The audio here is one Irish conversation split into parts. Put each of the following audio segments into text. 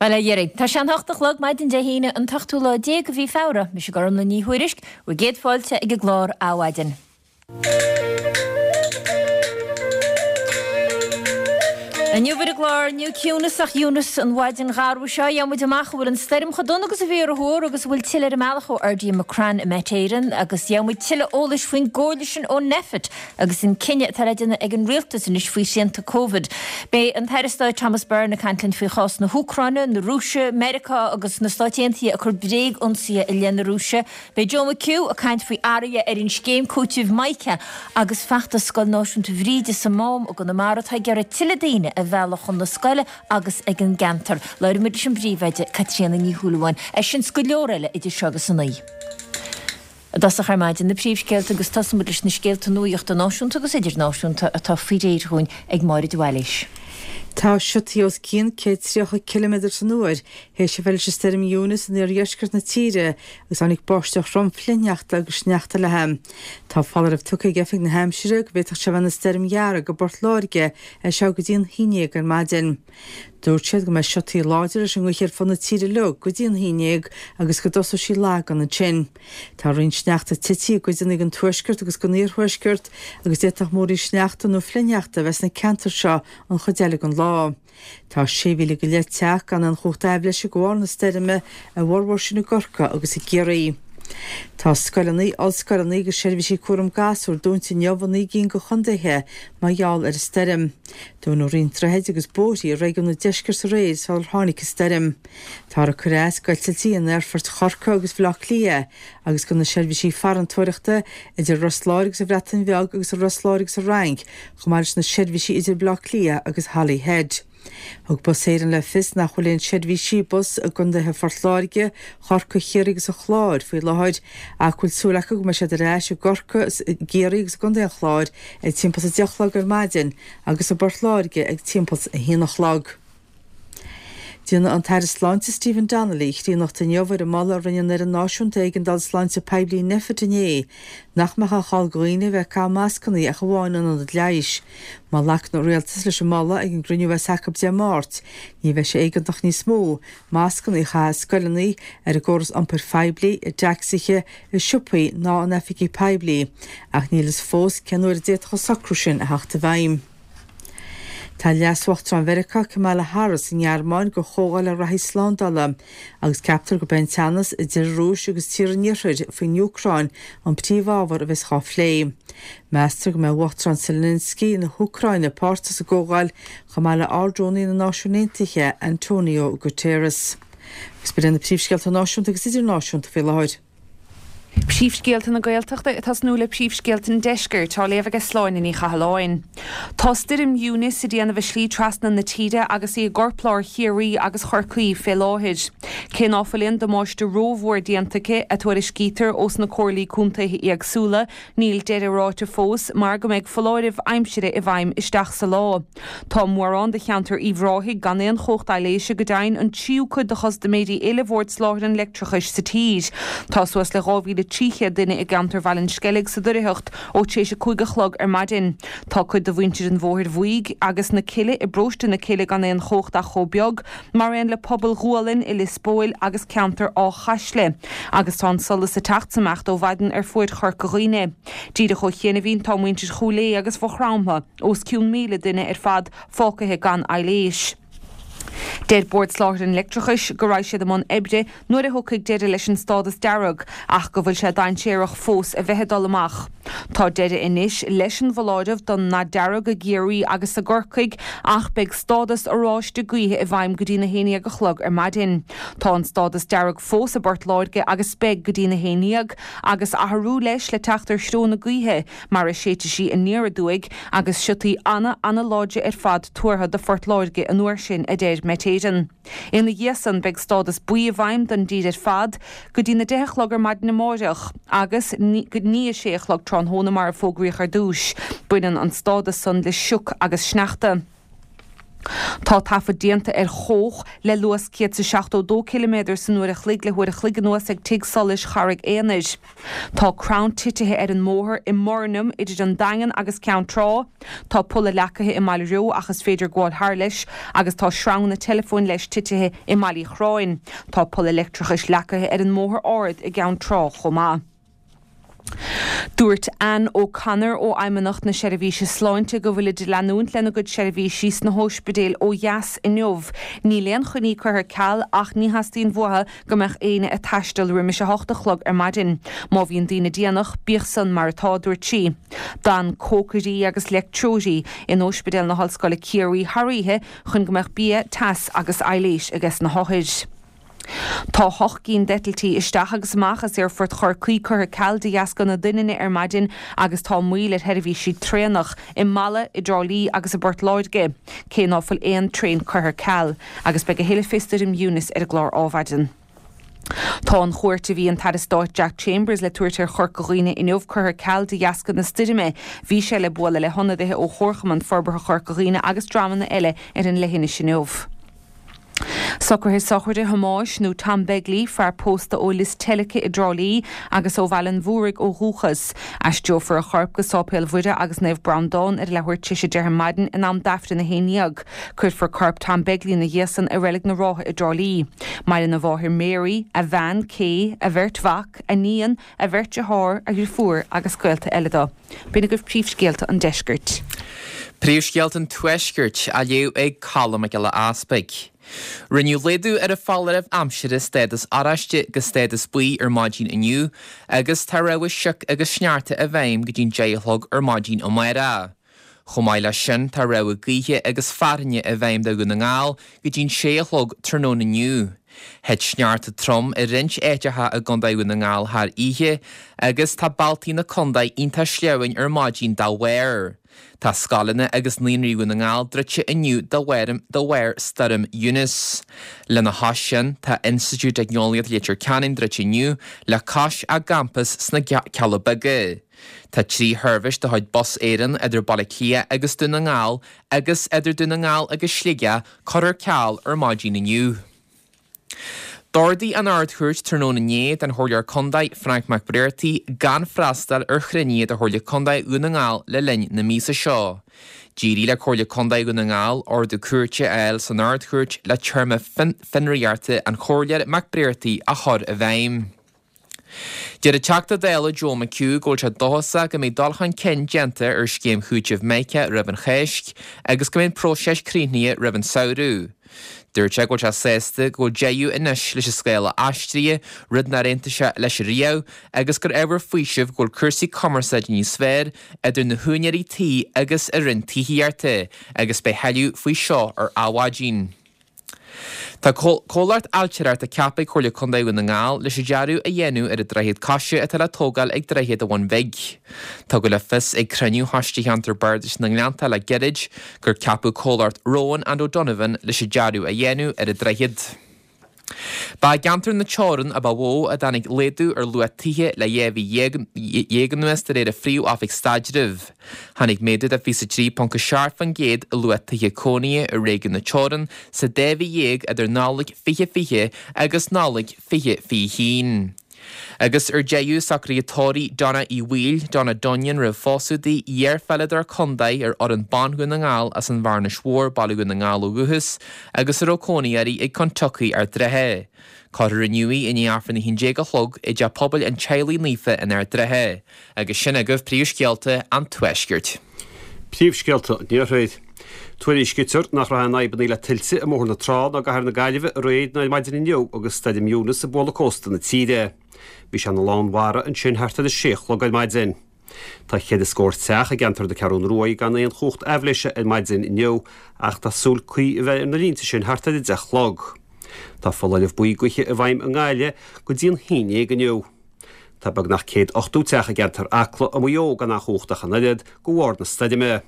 Bhuel, a Dhéirí, tá sé an hocht a chlog, maidin Dé hAoine, an t-ochtú lá de mhí Feabhra. Mise Gormlaith Ní Thuairisg, bhur gcéad fáilte ag an gclár Adhmhaidin. Inniu ar an gclár, níl ciúnas ach Eunice an mhaidin gharbh seo. Gheobhaidh muid amach an bhfuil an stoirm chomh dona agus a bhí ar a thuar agus an bhfuil tuilleadh ar an mbealach ó RD McCrann i Met Éireann agus gheobhaidh muid tuilleadh eolais faoin gcomhairle sin ó Nphet agus an cinneadh atá le déanamh ag an rialtas anois faoi shrianta Covid. Beidh an tAire Stáit Thomas Byrne ag caint linn faoi chás na hÚcráine, na Rúise, Meiriceá agus na Stáit Aontaithe ag cur bréag-ionsaithe i leith na Rúise. Beidh Joe McHugh ag caint faoi athruithe ar an scéim cúitimh Mica agus feachtas Scoil Náisiúnta Bhríde sa Mám i gConamara atá ag iarraidh tuilleadh daoine a mhealladh chun na scoile agus ag an gceantar. Labhróidh muid leis an bpríomhoide, Caitríona Ní Shúilleabháin. É sin 's go leor eile idir seo agus a naoi. I dtosach ar maidin, na príomhscéalta agus tosóidh muid leis na scéalta nuachta náisiúnta agus idirnáisiúnta atá faoi réir dhúinn ag Máire de Bhailís. Tá siotaí os cionn 130 ciliméadar san uair théis a bheith leis an stoirm Eunice in iardheisceart na tíre agus tháinig báisteach throm flichshneachta agus sneachta léi. Tá foláireamh tugtha ag Oifig na hAimsire go bhféadfadh sé a bheith ina stoirm dhearg i bPort Láirge as seo go dtí an haon dhéag ar maidin. Dúirt siad go mbeidh siotaí láidre leis an ngaoth ar fud na tíre uilig go dtí an haon dhéag agus go dtosóidh sí lagan ansin. Tá roinnt sneachta tite i gcuideanna den tuaisceart agus den iarthuaisceart agus d'fhéadfadh múraíl sneachta nó flichshneachta a bheith sna ceantair seo an chuid eile den lá. Tá 6,000 go leith teach gan aon chumhacht aibhléise de bharr na stoirme, a bhformhór sin i gCorcaigh agus i gCiarraí. Tá scoileanna, ollscoileanna agus seirbhísí cúram gasúr dúnta inniu i naoi gcinn de chontaetha mar gheall ar an stoirm. Dúnadh roinnt droichid agus bóithrí i réigiún an deiscirt aréir sular tháinig an stoirm. Táthar ag cur as d'eitiltí in aerfoirt Chorcaí agus Bhaile Átha Cliath agus do na seirbhísí farantóireachta idir Ros Láir agus an Bhreatain Bheag agus Ros Láir agus an Fhrainc chomh maith leis na seirbhísí idir Baile Átha Cliath agus Holyhead. Thug Bus Éireann le fios nach bhfuil aon seirbhísí bus i gcontaetha Phort Láirge, Chorcaí, Chiarraí agus an Chláir faoi láthair ach go bhfuil súil acu go mbeidh siad ar ais i gCorcaigh, i gCiarraí agus i gcontae an Chláir ag timpeall a 10 a chlog ar maidin agus i bPort Láirge ag timpeall a haon a chlog. Déanfaidh an tAire Sláinte Stephen Donnelly críonnacht inniu ar an moladh a rinne an Fhoireann Náisiúnta Éigeandála Sláinte Poiblí Nphet inné nach mbeadh aon chall do dhaoine a bheith ag caitheamh mascanna ach amháin in ionad leighis. Má ghlacann an Rialtas leis an moladh ag an gcruinniú a bheas acu Dé Máirt, ní bheidh sé éigeantach níos mó mascanna a chaitheamh i scoileanna, ar an gcóras iompair phoiblí, i dtacsaithe, i siopaí ná in oifigí poiblí, ach níl fhios fós cén uair a d'fhéadfadh an socrú sin a theacht i bhfeidhm. Tá Leas-Uachtarán Mheiriceá Kamala Harris sa nGearmáin do chomhdháil le reathaí slándála agus ceaptar gurb é an teannas idir an Rúis agus tíortha an Iarthair faoin Úcráin an príomhábhar a bheas dhá phlé. Meastar go mbeidh Uachtarán Zelensky na hÚcráine páirteach sa gcomhdháil chomh maith le Ard-Rúnaí na Náisiún Aontaithe Antonio Guterres. Agus b'in iad na príomhscéalta náisiúnta agus idirnáisiúnta faoi láthair. Príomhscéalta na Gaeltachta ag tosnú le príomhscéalta an Deiscirt, á léamh aige Sláine Ní Chathalláin. Tá stoirm Eunice ag déanamh a slí trasna na tíre agus í i gcorplár Chiarraí agus Chorcaí fé láthair. Cé ná fuil aon damáiste rómhór déanta aici, a tuairiscítear ós na comhairlí contaetha éagsúla, níl deireadh ráite fós mar go mbeidh foláireamh aimsire i bhfeidhm isteach sa lá. Tá mórán de cheantar Uíbh Ráthaigh gan aon chumhacht aibhléise, go deimhin an tríú cuid de chustaiméirí uile Bhord Soláthair an Leictreachais sa tír. Tá suas le 2,300 duine i gceantar Bhaile an Sceilg sa doircheacht ó tar éis a 5 a chlog ar maidin. Tá cuid de mhuintir an Bhóthair Bhuígh agus na Cille i bparóiste na Cille gan aon chumhacht ach chomh beag, mar aon le pobail Ghualainn i Lios Póil agus ceantar Áth Chaisle. Agus tá an solas ag teacht 's ag imeacht ó mhaidin ar fuaid Chorca Dhuibhne. Díreach ó chianaibhín tá muintir Chúil Aodha agus Mhaigh Chromtha, os cionn 1,000 duine ar fad fágtha gan aibhléis. Deir Bord Soláthair an Leictreachais go raghaidh siad i mbun oibre nuair a thiocfaidh deireadh leis an stádas dearg ach go bhfuil sé dainséarach fós a bheith ag dul amach. Tá deireadh anois leis an bhfoláireamh don ndath dearg i gCiarraí agus i gCorcaigh ach beidh stádas oráiste gaoithe i bhfeidhm go dtí'n 11 a chlog ar maidin. Tá an stádas dearg fós i bPort Láirge agus beidh go dtí'n 11 agus athrú leis le teacht ar threo na gaoithe. mar a séidfidh sí aniar aduaidh, agus siotaí ana, ana-láidre ar fad tuartha do Phort Láirge an uair sin, a deir Met Éireann. Ina dhiaidh san, beidh stádas buí i bhfeidhm don dtír ar fad go dtí na deich a chlog ar maidin amáireach, agus ní a sé a chlog tráthnóna mar a fógraíodh ar dtúis. Baineann an stádas san le sioc agus sneachta. Tá taifead déanta ar chóch le luas 172 ciliméadar san uair a chloig le huair a chloig anuas ag Tigh Solais Charraig Aonair. Tá crann titithe ar an mbóthar i mBornam idir an Daingean agus Ceann Trá. Tá polla leacaithe i mBaile Reo ach is féidir gabháil thar leis agus tá sreanganna teileafóin leis titithe i mBaile Uí Chorráin. Tá polla leictreachais leacaithe ar an mBóthar Ard i gCeann Trá chomh maith. Dúirt Anne O'Connor ó Fheidhmeannacht na Seirbhíse Sláinte go bhfuilid ag leanúint lena gcuid seirbhísí sna hóispidéil ó dheas inniu. Níl aon choinní curtha ar ceal ach ní theastaíonn uathu go mbeadh éinne ag taisteal roimis 8 a chlog ar maidin. Má bhíonn daoine déanach, bíodh san mar atá, a dúirt sí. D'fhan cócairí agus leictreoirí in Óispidéal na hOllscoile Ciarraí thar oíche chun go mbeadh bia, teas agus aibhléis ages na hothair. Tá hocht gcinn d'eitiltí isteach agus amach as Aerfort Chorcaí curtha ar ceal de dheasca na doininne ar maidin agus tá moill ar sheirbhísí traenach i Mala, i dTrá Lí agus i bPort Láirge, cé ná fuil aon traein curtha ar ceal. Agus beidh a thuilleadh fé stoirm Eunice ar an gclár Ádhmhaidin. Tá an chuairt a bhí an tAire Stáit Jack Chambers le tabhairt ar Chorca Dhuibhne inniu curtha ar ceal de dheasca na stoirme. Bhí sé le bualadh le hionadaithe ó Chomharchumann Forbartha Chorca Dhuibhne agus dreamanna eile ar an leithinis inniu. Socruithe sochraide Thomáis, nó Tom Begley, fear pósta ó Lios Teilice i dTrá Lí agus ó Bhaile an Mhúraigh ó dhúchas. Aistreofar a chorp go Sáipéal Mhuire agus Naomh Breandán ar a leathuair tar éis a deich ar maidin in am d'Aifreann a 11. Cuirfear corp Tom Begley ina dhiaidh san i Reilig na Rátha i dTrá Lí. Maireann a mháthair Mary, a bhean, Kay, a bheirt mhac, a níon, a bheirt dearthár, a dhriofúr agus gaolta eile dó. B'in agaibh príomhscéalta an deiscirt. Príomhscéalta an Tuaiscirt á léamh ag Colm Mac Giolla Easpaig. Rinneadh laghdú ar an foláireamh aimsire stádas oráiste go stádas buí ar maidin inniu agus tá rabhadh sioc agus sneachta i bhfeidhm go dtí'n 10 a chlog ar maidin amárach. Chomh maith leis sin, tá rabhadh gaoithe agus fearthainne i bhfeidhm do Dhún na nGall go dtí'n 6 a chlog tráthnóna inniu. Thit sneachta trom i roinnt áiteacha i gContae Dhún na nGall thar oíche agus tá bealtaí na contae iontach sleamhain ar maidin dá bharr. Tá scoileanna agus naíonraí Dhún na nGall druidte inniu de bharr Stoirm Eunice. Lena chois sin, tá Institiúid Teicneolaíochta Leitir Ceanainn druidte inniu le cois a gcampas sna Cealla Beaga. Tá 3 sheirbhís de chuid Bus Éireann idir Baile Átha Cliath agus Dún na nGall agus idir Dún na nGall agus Sligeach curtha ar ceal ar maidin inniu. D'ordaigh an Ard-Chúirt tráthnóna inné don Chomhairleoir Contae Frank McBrearty gan freastal ar chruinnithe de Chomhairle Contae Dhún na nGall le linn na míosa seo. D'éirigh le Comhairle Contae Dhún na nGall ordú cúirte a fháil san Ard-Chúirt le téarma fionraíochta an Chomhairleora McBrearty a chur i bhfeidhm. Deir an Teachta Dála Joe McHugh go bhfuil sé dóchasach go mbeidh dul chun cinn déanta ar scéim chúitimh Mica roimh an Cháisc agus go mbeidh an próiseas críochnaithe roimh an samhradh. Dúirt sé go bhfuil sé sásta go bhfuil deireadh anois leis an scála aistrithe, rud nár aontaigh sé leis riamh, agus gur ábhar faoisimh go bhfuil cúrsaí cumarsáide níos fearr idir na húinéirí tí agus an Roinn Tithíochta agus beidh thuilleadh faoi seo ar Adhmhaidin. Tá comhlacht ailtireachta ceaptha ag Comhairle Contae Dhún na nGall leis an dearadh a dhéanamh ar an droichead coise atá le tógáil ag Droichead an Bhun Bhig. Tugadh le fios ag cruinniú Choiste Cheantar Bardais na nGleannta le gairid gur ceapadh comhlacht Rowan and O'Donovan leis an dearadh a dhéanamh ar an droichead. Ba i gceantar na Teorann a ba mhó a dtáinig laghdú ar luach tithe le 12 mhí anuas de réir an Phríomh-Oifig Staidrimh. Tháinig méadú de 23.7% i luach tithe cónaithe i réigiún na Teorann sa dá mhí dhéag idir Nollaig 2020 agus Nollaig 2021. Agus ar deireadh, socruithe tórraimh Donna Uí Bhaoill, Donna Dunnion roimh phósadh di, iar-pheileadóir contae ar fhoireann ban Dhún na nGall as an Bhearnais Mhór, Baile Dhún na nGall ó dhúchas, agus a raibh cónaí uirthi ag Kentucky Ard Rátha. Cuirfear inniu í i ndiaidh Aifreann 11 a chlog i dTeach Pobail an Teaghlaigh Naofa in Ard Rátha. Agus sin agaibh príomhscéalta an Tuaiscirt. Príomhscéalta an Iarthair. Tuairiscítear nach raibh aon fhadhbanna le tuilte i mBóthar na Trá ná i gCathair na Gaillimhe aréir ná ar maidin inniu agus Stoirm Eunice ag bualadh cósta na tíre. Bhí sé ina lánmhara ansin thart ar a sé a chlog ar maidin. Tá cheithre scór teach i gceantar na Ceathrún Ruaidh gan aon chumhacht aibhléise ar maidin inniu ach tá súil caoi a bheith ar na línte sin thart ar a deich a chlog. Tá foláireamh buí gaoithe i bhfeidhm i nGaillimh go dtí an haon dhéag inniu. Tá beagnach 180 teach i gceantar Acla i Maigh Eo gan aon chumhacht ach an oiread de bharr na stoirme.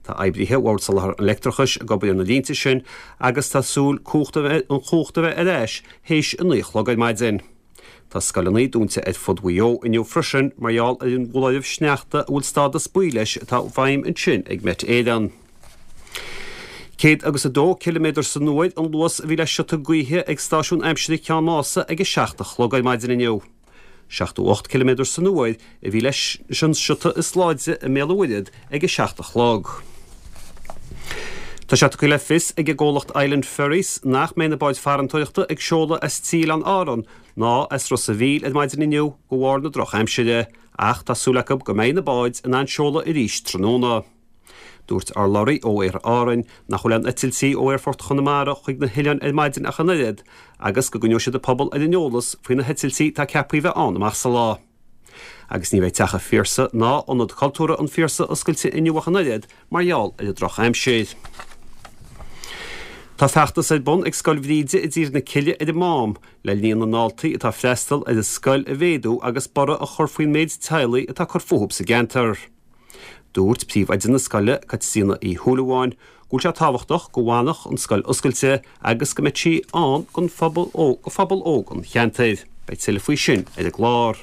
Tá oibrithe Bhord Soláthair an Leictreachais ag obair ar na línte sin agus tá súil cumhacht a bheith an chumhacht a bheith ar ais théis a 9 a chlog ar maidin. Tá scoileanna dúnta ar fud Mhaigh Eo inniu freisin mar gheall ar an bhfoláireamh sneachta a bhfuil stádas buí leis atá i bhfeidhm ansin ag Met Éireann. 102 ciliméadar san uair an luas a bhí le siota gaoithe ag stáisiún aimsire Cheann Mása ag a 7 a chlog ar maidin inniu. 78 ciliméadar san uair a bhí leis an siota is láidre i mBéal an Mhuirthead ag a 7 a chlog. Tá sé tugtha le fios ag an gcomhlacht Island Ferries nach mbeidh na báid farantóireachta ag seoladh as tí Oileáin Árann ná as Ros a' Mhíl ar maidin inniu de bharr na drochaimsire ach tá súil acu go mbeidh na báid in ann seoladh arís tráthnóna. Dúirt urlabhraí ó Aer Árainn nach bhfuil aon eitiltí ó Aerfort Chonamara chuig na hoileáin ar maidin ach an oiread agus go gcoinneoidh siad an pobal ar an eolas faoi na heitiltí atá ceaptha a bheith ann amach sa lá. Agus ní bheidh Teach an Phiarsaigh ná Ionad Cultúrtha an Phiarsaigh oscailte inniu ach an oiread mar gheall ar an drochaimsir. Tá feachtas ar bun ag Scoil Bhríde i dTír na Cille ar an Mám le líon na ndaltaí atá ag freastal ar an scoil a mhéadú agus borradh a chur faoin méid teaghlaigh atá ag cur fúthu sa gceantar. Dúirt príomhoide na scoile, Caitríona Uí Shúilleabháin, go bhfuil sé tábhachtach go bhfanfadh an scoil oscailte agus go mbeadh sí ann don phobal do phobal óg an cheantair. Beidh tuilleadh faoi sin ar an gclár.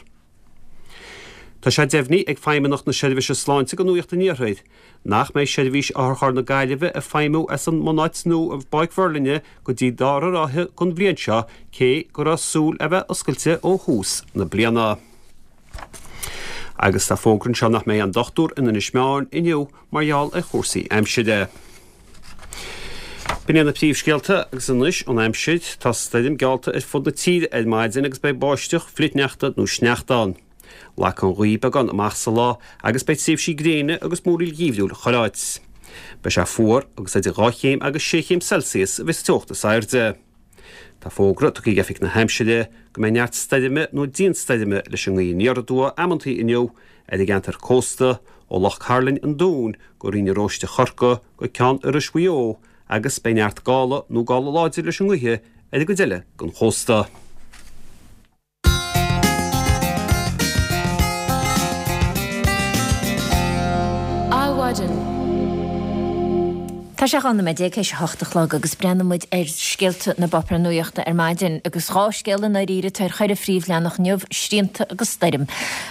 Tá sé deimhnithe ag Feidhmeannacht na Seirbhíse Sláinte do Nuacht an Iarthair nach mbeidh seirbhís otharcharr na Gaillimhe ag feidhmiú as an mbunáit nua i bPáirc Mhuirlinne go dtí dara ráithe den bhliain seo cé go raibh súil a bheith oscailte ó thús na bliana. Agus tá fógra anseo nach mbeidh aon dochtúir in Inis Meáin inniu mar gheall ar chúrsaí aimsire. B'in iad na príomhscéalta agus anois an aimsir. Tá stoirm geallta ar fud na tíre ar maidin agus beidh báisteach, flichshneachta nó sneachta ann. Lagfaidh an ghaoth beagán amach sa lá agus beidh tréimhsí gréine agus múraíl gheimhriúil chuile áit. Beidh sé fuar agus idir 2 chéim agus 6 chéim Celsius a bheas an teocht is airde. Tá fógra tugtha ag Oifig na hAimsire go mbeidh neart stoirme nó dianstoirme leis an ngaoth aniar aduaidh amantaí inniu ar an gceantar cósta, ó Loch Cairlinn an Dúin go Rinn na Róiste Chorcaí go Ceann Iorrais Mhaigh Eo agus beidh neart gála nó gála láidir leis an ngaoth ar an gcuid eile den chósta. Adhmhaidin. Tá sé 12 nóiméad théis a hocht a chlog agus breathnóidh muid ar scéalta na bpáipéar nuachta ar maidin agus dhá scéal i ndáiríre atá ar cheithre phríomhleathanach inniu, srianta agus stoirm.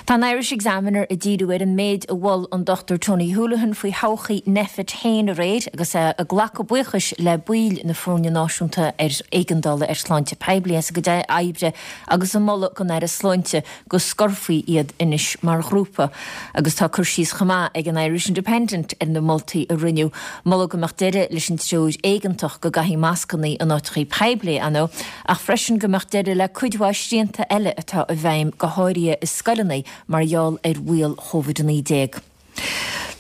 Tá an Irish Examiner ag díriú ar an méid a mhol an Dr Tony Holohan faoi thodhchaí Nphet féin aréir agus é ag glacadh buíochais le baill na foirne náisiúnta ar éigeandála ar shláinte poiblí as a gcuid oibre agus ag moladh don Aire Sláinte go scorfaí iad anois mar ghrúpa. Agus tá cur síos chomh maith ag an Irish Independent ar na moltaí a rinneadh. Moladh go mbeadh deireadh leis an treoir éigeantach go gcaithfí mascannaí in áiteachaí poiblí, ar ndóigh, ach freisin go mbeadh deireadh le cuid mhaith srianta eile atá i bhfeidhm, go háirithe i scoileanna, mar gheall ar bhaol Covid-19.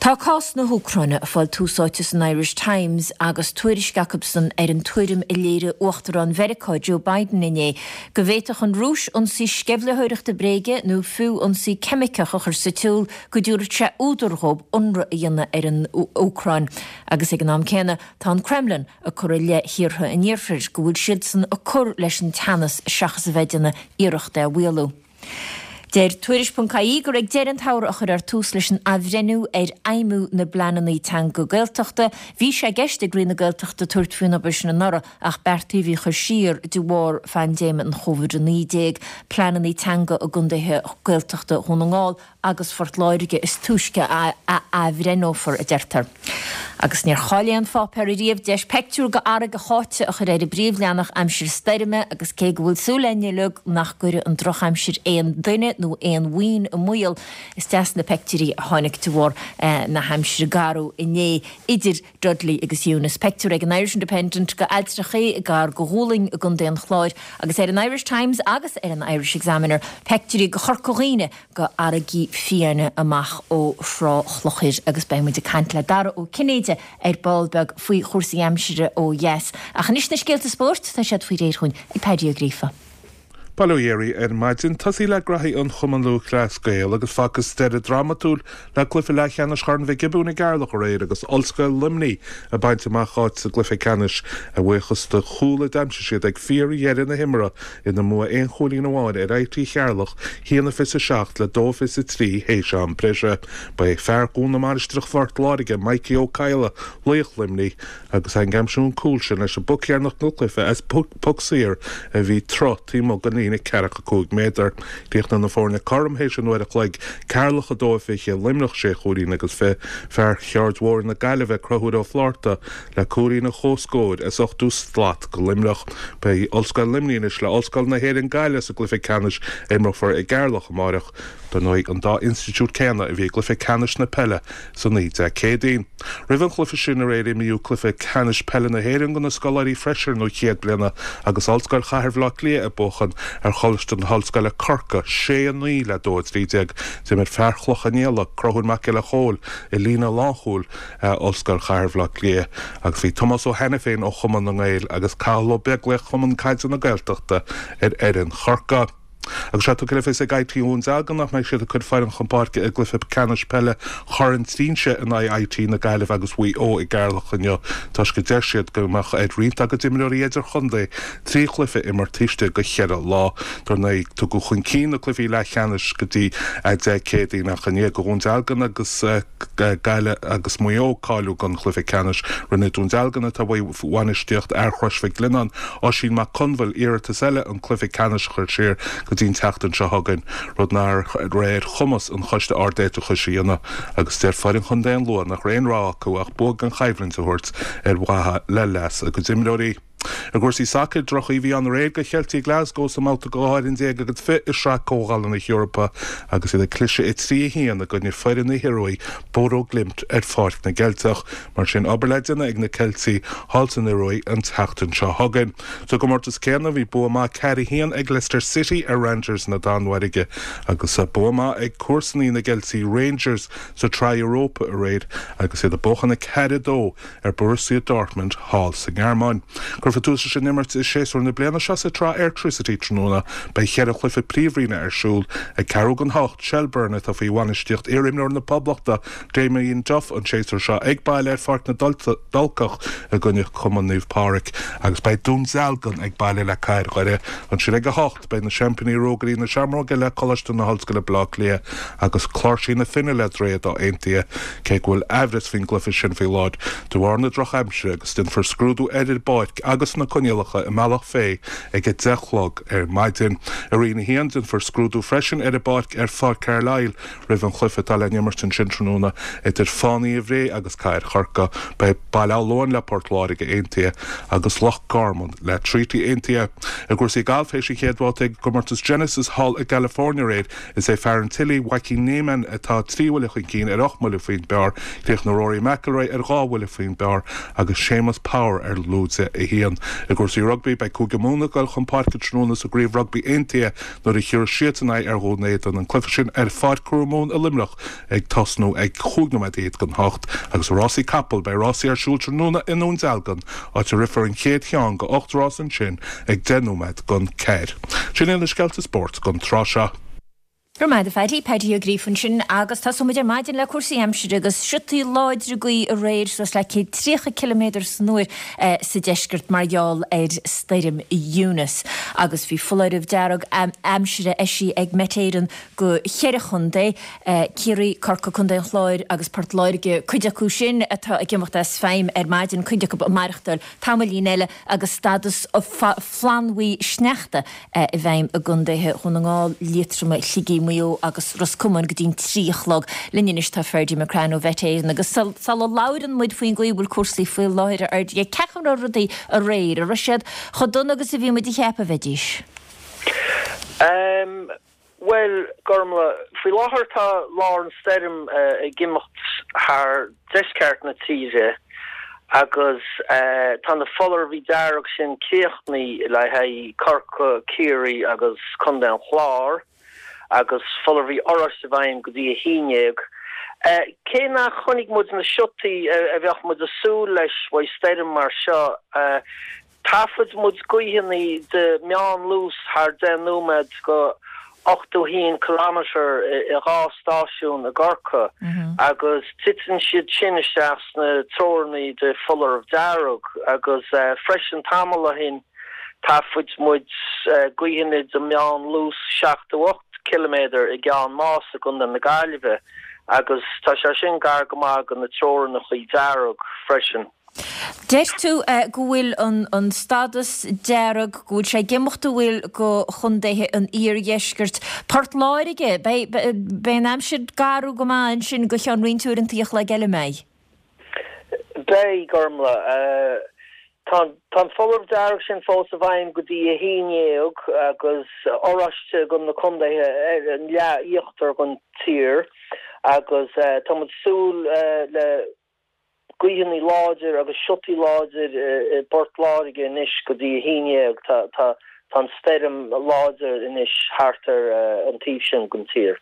Tá cás na hÚcráine ag fáil tús áite san Irish Times agus tuairisc acusan ar an tuairim a léirigh Uachtarán Mheiriceá Joe Biden inné go bhféadfadh an Rúis ionsaí sceimhlitheoireachta bréige nó fiú ionsaí ceimiceach a chur sa tsiúl go dtabharfadh sé údar dhóibh ionradh a dhéanamh ar an Úcráin agus ag an am céanna tá an Kremlin ag cur i leith thíortha an Iarthair go bhfuil siadsan ag cur leis an teannas seachas a bheith ag déanamh iarracht é a mhaolú. Deir Tuairisc.ie gur ag deireadh an tsamhraidh a chuirfear tús leis an athbhreithniú ar fheidhmiú na bpleananna teanga Gaeltachta. Bhí sé i gceist ag Roinn na Gaeltachta tabhairt faoin obair sin anuraidh ach beartaíodh í a chur siar de bharr phaindéim an Covid-19. Pleananna teanga i gcontaetha Gaeltachta Dhún na nGall agus Phort Láirge is túisce a athbhreithneofar, a deirtear. Agus níor chaill aon pháipéar ariamh deis peictiúr de fharraige sháite a chur ar an bpríomhleathanach aimsir stoirme agus cé go bhfuil súil againn uilig nach gcuirfidh an drochaimsir aon duine nó aon mhaoin i mbaol, is deas na peictiúirí a tháinig de bharr na haimsire garbh inné idir Dudley agus Eunice. Peictiúr ag an Irish Independent de ailltreachaí gar do Dhúlaing i gContae an Chláir agus ar an Irish Times agus ar an Irish Examiner peictiúirí de Chorca Dhuibhne de fharraigí fiáine amach ó Thrá Chlochair agus beidh muid ag caint le Dara Ó Cinnéide ar ball beag faoi chúrsaí aimsire ó dheas. Ach anois na scéalta spóirt, tá siad faoi réir chugainn ag Paddy Ó Gríofa. Bail ó Dhia oraibh ar maidin. Tosaí le graithí an Chumann Lúthchleas Gael agus facthas deireadh drámatúil le cluiche leathcheannais Chorn Mhic Giobúin i gCeatharlach aréir agus Ollscoil Luimnigh ag baint amach áit sa gcluiche ceannais a bhuíochas do chúl a d'aimsigh siad ag fíordheireadh na himeartha ina mbua aon chúilín amháin ar IT Cheatharlach, 1-27 le 2-23 théis am breise. Ba é fear Dhún na Mainistreach Phort Láirge, Mikey Ó Cadhla, laoch Luimnigh, agus ag aimsiú an cúl sin leis an bpoc dheireanach den chluiche as poc saor a bhí troigh taobh amuigh den liathróid. líne ceathracha 5 méadar. Chríochnaigh na foirne cothrom théis an uair a chloig, Ceatharlach 2-20, Luimneach sé chúilín agus 20, fear Shord Mhóir na Gaillimhe, Conchúr Ó Flátharta, le cúilín an chomhscóir, a ochtú slat go Luimneach. Beidh Ollscoil Luimnigh anois le Ollscoil na hÉireann Gaillimh sa gcluiche ceannais a imreofar i gCeatharlach amáireach. Dar ndóigh, an dá institiúid céanna a bhí i gcluiche ceannais na peile san oíche Dé Céadaoin. Roimh an chluiche sin aréir imríodh cluiche ceannais peile na hÉireann do na scoláirí freisin nó chéad bliana agus Ollscoil Chathair Bhaile Átha Cliath ag buachan ar Choláiste na hOllscoile Corcaigh, 6, 9 le 2, 13. D'imir fear Chloich Cheann Fhaola, Conchúr Mac Giolla Chóill, i líne lánchúil Ollscoil Chathair Bhaile Átha Cliath agus bhí Tomás Ó hAiniféin ó Chumann na nGael agus Cathal Ó Beaglaoich Chumann Caide na Gaeltachta ar fhoireann Chorcaí. Agus tá sé tugtha le fios ag IT Dhún Dealgan nach mbeidh siad ag cur foireann chun páirce i gcluiche ceannais peile Chorn Trinse in aghaidh IT na Gaillimhe agus Mhaigh Eo i gCeatharlach inniu toisc go deir siad go mbeadh ar roinnt dá gcuid imreoirí idirchontae trí chluiche a imirt taobh istigh de cheithre lá. Dar ndóigh, tugadh chun cinn na cluichí leathcheannais go dtí Dé Céadaoin ach i ndiaidh do Dhún Dealgan agus Gaillimh agus Maigh Eo cáiliú don chluiche ceannais. Rinne Dún Dealgan, atá faoi bhainistíocht fhear Chrois Mhic Lionnáin, Oisín Mac Conbhail, iarratas eile an cluiche ceannais a chur siar go dtí an tseachtain seo chugainn, rud nach raibh ar chumas an Choiste Ard-Éiteachais a dhéanamh agus deir foireann chontae an Lú nach raibh aon rogha acu ach bua gan choimhlint a thabhairt ar mhaithe le leas a gcuid imreoirí. I gcúrsaí sacair, drochoíche a bhí ann aréir do Cheiltigh Glasgow sa mbabhta 12 fhoireann agus 20 i Sraith Comhdhála na hEorpa agus iad ag cliseadh 3-1 i gcoinne foireann na hIorua, Bodo Glimt ar Pháirc na gCeilteach. Mar sin, obair le déanamh ag na Ceiltigh thall san Ioruaidh an tseachtain seo chugainn. Sa gcomórtas céanna, bhí bua maith 4-1 ag Leicester City ar Rangers na Danmhairge agus bua maith ag comharsanaí na gCeiltigh Rangers sa tSraith Europa aréir agus iad ag buachan 4-2 ar Borussia Dortmund thall sa nGearmáin. Cuirfear tús leis an imirt i séasúr na bliana seo sa tSraith Airtricity tráthnóna. Beidh cheithre chluiche príomhroinne ar siúl ag ceathrú don hocht, Shelbourne atá faoi bhainistíocht iarimreoir na Poblachta, Damien Duff an séasúr seo ag baile ar Pháirc na dTulcach i gcoinne Cumann Naomh Pádraig agus beidh Dún Dealgan ag baile le Cathair Dhoire ansin ag a hocht. Beidh na seaimpíní Rógairí na Seamróige le Coláiste na hOllscoile Baile Átha Cliath agus Cláirsí na Finne le Droichead Átha Aontaithe cé go bhfuil aimhreas faoin gcluiche sin faoi láthair de bharr na drochaimsire agus déanfar scrúdú ar an bpáirc agus na coinníollacha i mBealach Féich ag a 10 a chlog ar maidin. I Roinn 1, déanfar scrúdú freisin ar an bpáirc ar Pháirc Carlisle roimh an chluiche atá le n-imirt ansin tráthnóna idir Fánaithe Bhré agus Cathair Chorcaí. Beidh Baile Átha Luain le Port Láirge Aontaithe agus Loch Garman le Treaty Aontaithe. I gcúrsaí gailf, théis an chéad bhabhta ag an gcomórtas Genesis thall i gCalifornia aréir, Is é fear an tSilí, Joaquin Niemann, atá trí bhuille chun cinn ar ocht mbuille faoin bpar. Chríochnaigh Rory McIlroy ar dhá bhuille faoin bpar agus Séamus Power ar lúide a haon. I gcúrsaí rugbaí, beidh Cúige Mumhan ag dul chun páirce tráthnóna sa gCraobh Rugbaí Aontaithe nuair a thiúrfas siadsan aghaidh ar Dhún Éideann. An cluiche sin ar Pháirc Mumhan i Luimneach ag tosnú ag chúig nóiméad don hocht. Agus i rásaí capall, beidh rásaí ar siúl tráthnóna i nDún Dealgan, áit a rithfear an chéad cheann de ocht rás ansin ag deich nóiméad don ceathair. Sin iad na scéalta spóirt don tráth seo. Go raibh maith agat a Phaddy, Paddy Ó Gríofa ansin agus tosóidh muid ar maidin le cúrsaí aimsire agus siotaí láidre gaoithe aréir suas le 130 ciliméadar san uair sa deisceart mar gheall ar stoirm Eunice agus bhí foláireamh dearg aimsire eisithe ag Met Éireann go cheithre chontae, Ciarraí, Corcaigh, Contae an Chláir agus Port Láirge, cuid acu sin atá ag imeacht as feidhm ar maidin, cuid acu ag maireachtáil tamaillín eile agus stádas flannbhuí sneachta i bhfeidhm i gcontaetha Dhún na nGall, Liatroma, Shligigh, Maigh Eo agus Ros Comáin go dtí'n 3 a chlog. Linn anois tá Ferdia McCrann ó Mhet Éireann agus sula labhrann muid faoin gcaoi a bhfuil cúrsaí faoi láthair a Fherdia, cén chaoi a raibh rudaí aréir? An raibh siad chomh dona agus a bhí muid a cheapadh a bheidís? Bhuel, Gormlaith, faoi láthair tá lár an stoirm ag imeacht thar deisceart na tíre agus tá na foláirimh dearg sin críochnaithe le haghaidh Corcaigh, Ciarraí agus Contae an Chláir agus foláirimh oráiste i bhfeidhm go dtí 11. Cé nach chonaic muid na siotaí a bheadh muid ag súil leis uaidh stoirm mar seo, Thaifead muid gaoitheanna de meánluas thar 10 nóiméad go 81 kilometre i dhá stáisiún i gCorcaigh agus titeann siad sin isteach sna treoranna de foláireamh dearg agus freisin tamall ó shin thaifead muid gaoitheanna de meánluas 78 ciliméadar i gCeann Mása i gContae na Gaillimhe agus tá sé sin gar go maith go na treorannacha dearg freisin. Deir tú go bhfuil an stádas dearg, go bhfuil sé ag imeacht an bhfuil go chontaetha an iardheiscirt. Port Láirge, beidh an aimsir garbh go maith ansin go cheann roinnt uaireanta an chloig eile, an mbeidh? Beidh, Gormlaith. Tá an foláireamh dearg sin fós i bhfeidhm go dtí 11 agus oráiste do na contaetha ar an leath íochtar den tír agus tá muid ag súil le gaoitheanna láidir agus siotaí láidir i bPort Láirge anois go dtí 11. Tá an stoirm láidir anois thart ar an taobh sin den tír.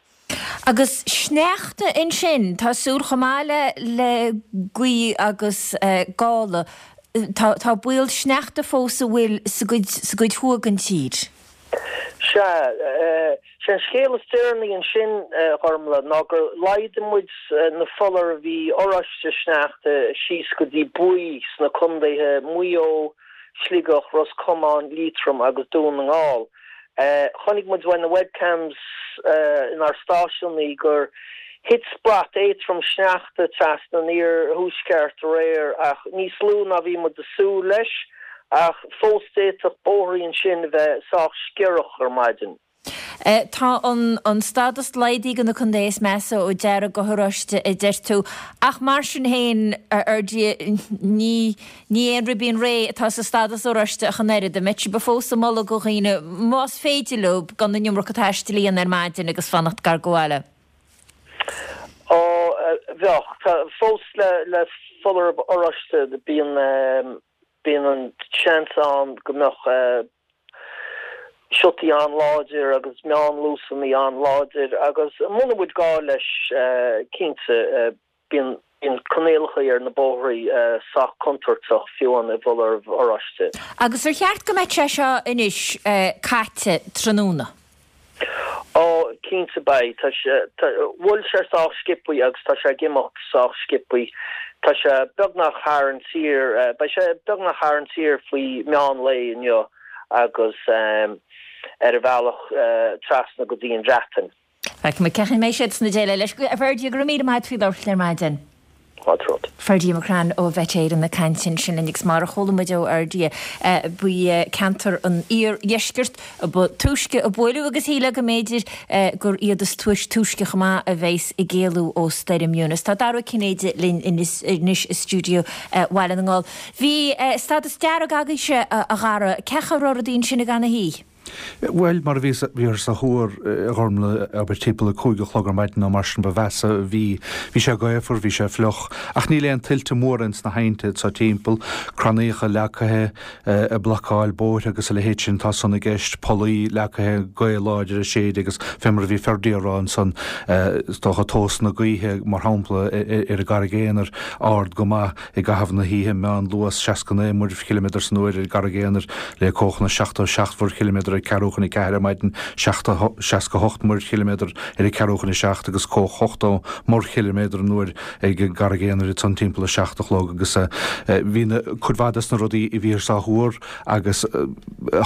Agus sneachta ansin, tá súil chomh maith le le gaoth agus gála, tá tá baol sneachta fós an bhfuil sa gcuid sa gcuid thuaidh den tír. Sea, sé an scéal is deireanaí ansin, a Ghormlaith, ná gur laghdaigh muid na foláirimh oráiste sneachta síos go dtí buí sna contaetha Maigh Eo, Sligeach, Ros Comáin, Liatroim agus Dún na nGall. Chonaic muid uaidh na webcams inár stáisiúnaí gur thit brat éadtrom sneachta trasna an iarthuaisceart aréir ach níos lú ná bhí muid ag súil leis ach fós d'fhéadfadh bóithrí ansin a bheith sách sciorrach ar maidin. Tá an stádas laghdaithe do na contaetha is measa ó dearg go horáiste a deir tú ach mar sin féin, a Fherdia, ní Ní aon ribín réidh atá sa stádas oráiste ach an oiread. An mbeidh sibh fós ag moladh do dhaoine, más féidir leo, gan an iomarca taistil a dhéanamh ar maidin agus fanacht gar do bhaile? Ó, bheadh. Tá fós le foláireamh oráiste, bíonn, bíonn an seans ann go mbeadh siotaí an-láidir agus meánluasanna an-láidir agus muna bhfuil gá leis, cinnte, Bíonn coinníollacha ar na bóithrí sách contúirteach, fiú amháin i bhfoláireamh oráiste. Agus ar cheart go mbeadh sé seo anois caite tráthnóna? Ó, cinnte beidh. Tá sé, bhuail sé sách sciobthaí agus tá sé ag imeacht sách sciobthaí. Tá sé beagnach thar an tír, beidh sé beagnach thar an tír faoi meán lae inniu agus ar a bhealach trasna go dtí an Bhreatain. Feicfimid cén chaoi a mbeidh siad sna déileáil leis. A Ferdia, go raibh míle maith agat faoi labhairt linn ar maidin. Fáilte romhat. Ferdia McCrann ó Mhet Éireann ag caint ansin linn agus mar a chuala muid ó Fherdia, ba ceantar an iardheiscirt ba túisce a buaileadh agus shílfeá go mb'fhéidir gur iad is túisce chomh maith a bheas ag éalú ó Stoirm Eunice. Tá Dara Ó Cinnéide linn anois i stiúideo Bhaile na nGall. Bhí stádas dearg agaibhse, a Dhara. Cén chaoi a raibh rudaí ansin i gConamara? Bhuel, mar a bhí, bhíothas á thuar, a Ghormlaith, abair timpeall a 5 a chlog ar maidin nó mar sin ba mheasa a bhí. Bhí sé gaofar, bhí sé fliuch, ach níl aon tuilte móra ins na haibhnte anso timpeall, crannaíocha leagtha ag blocáil bóithre agus a leithéid sin, tá san i gceist, pollaí leagtha, gaoth láidir ag séideadh agus fé mar a bhí Ferdia a rá ansan, is dócha tomhas na gaoithe, mar shampla, ar an gCarraig Aonair, ard go maith. I gcaitheamh na hoíche, meánluas 69 muirchiliméadar san uair ar an gCarraig Aonair, le cuachanna 77 mhuirchiliméadar ag ceathrú chun a ceathair ar maidin, 68 muirchiliméadar ar a ceathrú chun a seacht agus cuach 80 muirchiliméadar an uair ag an gCarraig Aonair ansan timpeall a seacht a chlog agus bhí cuid mhaith des na rudaí a bhíothas á thuar agus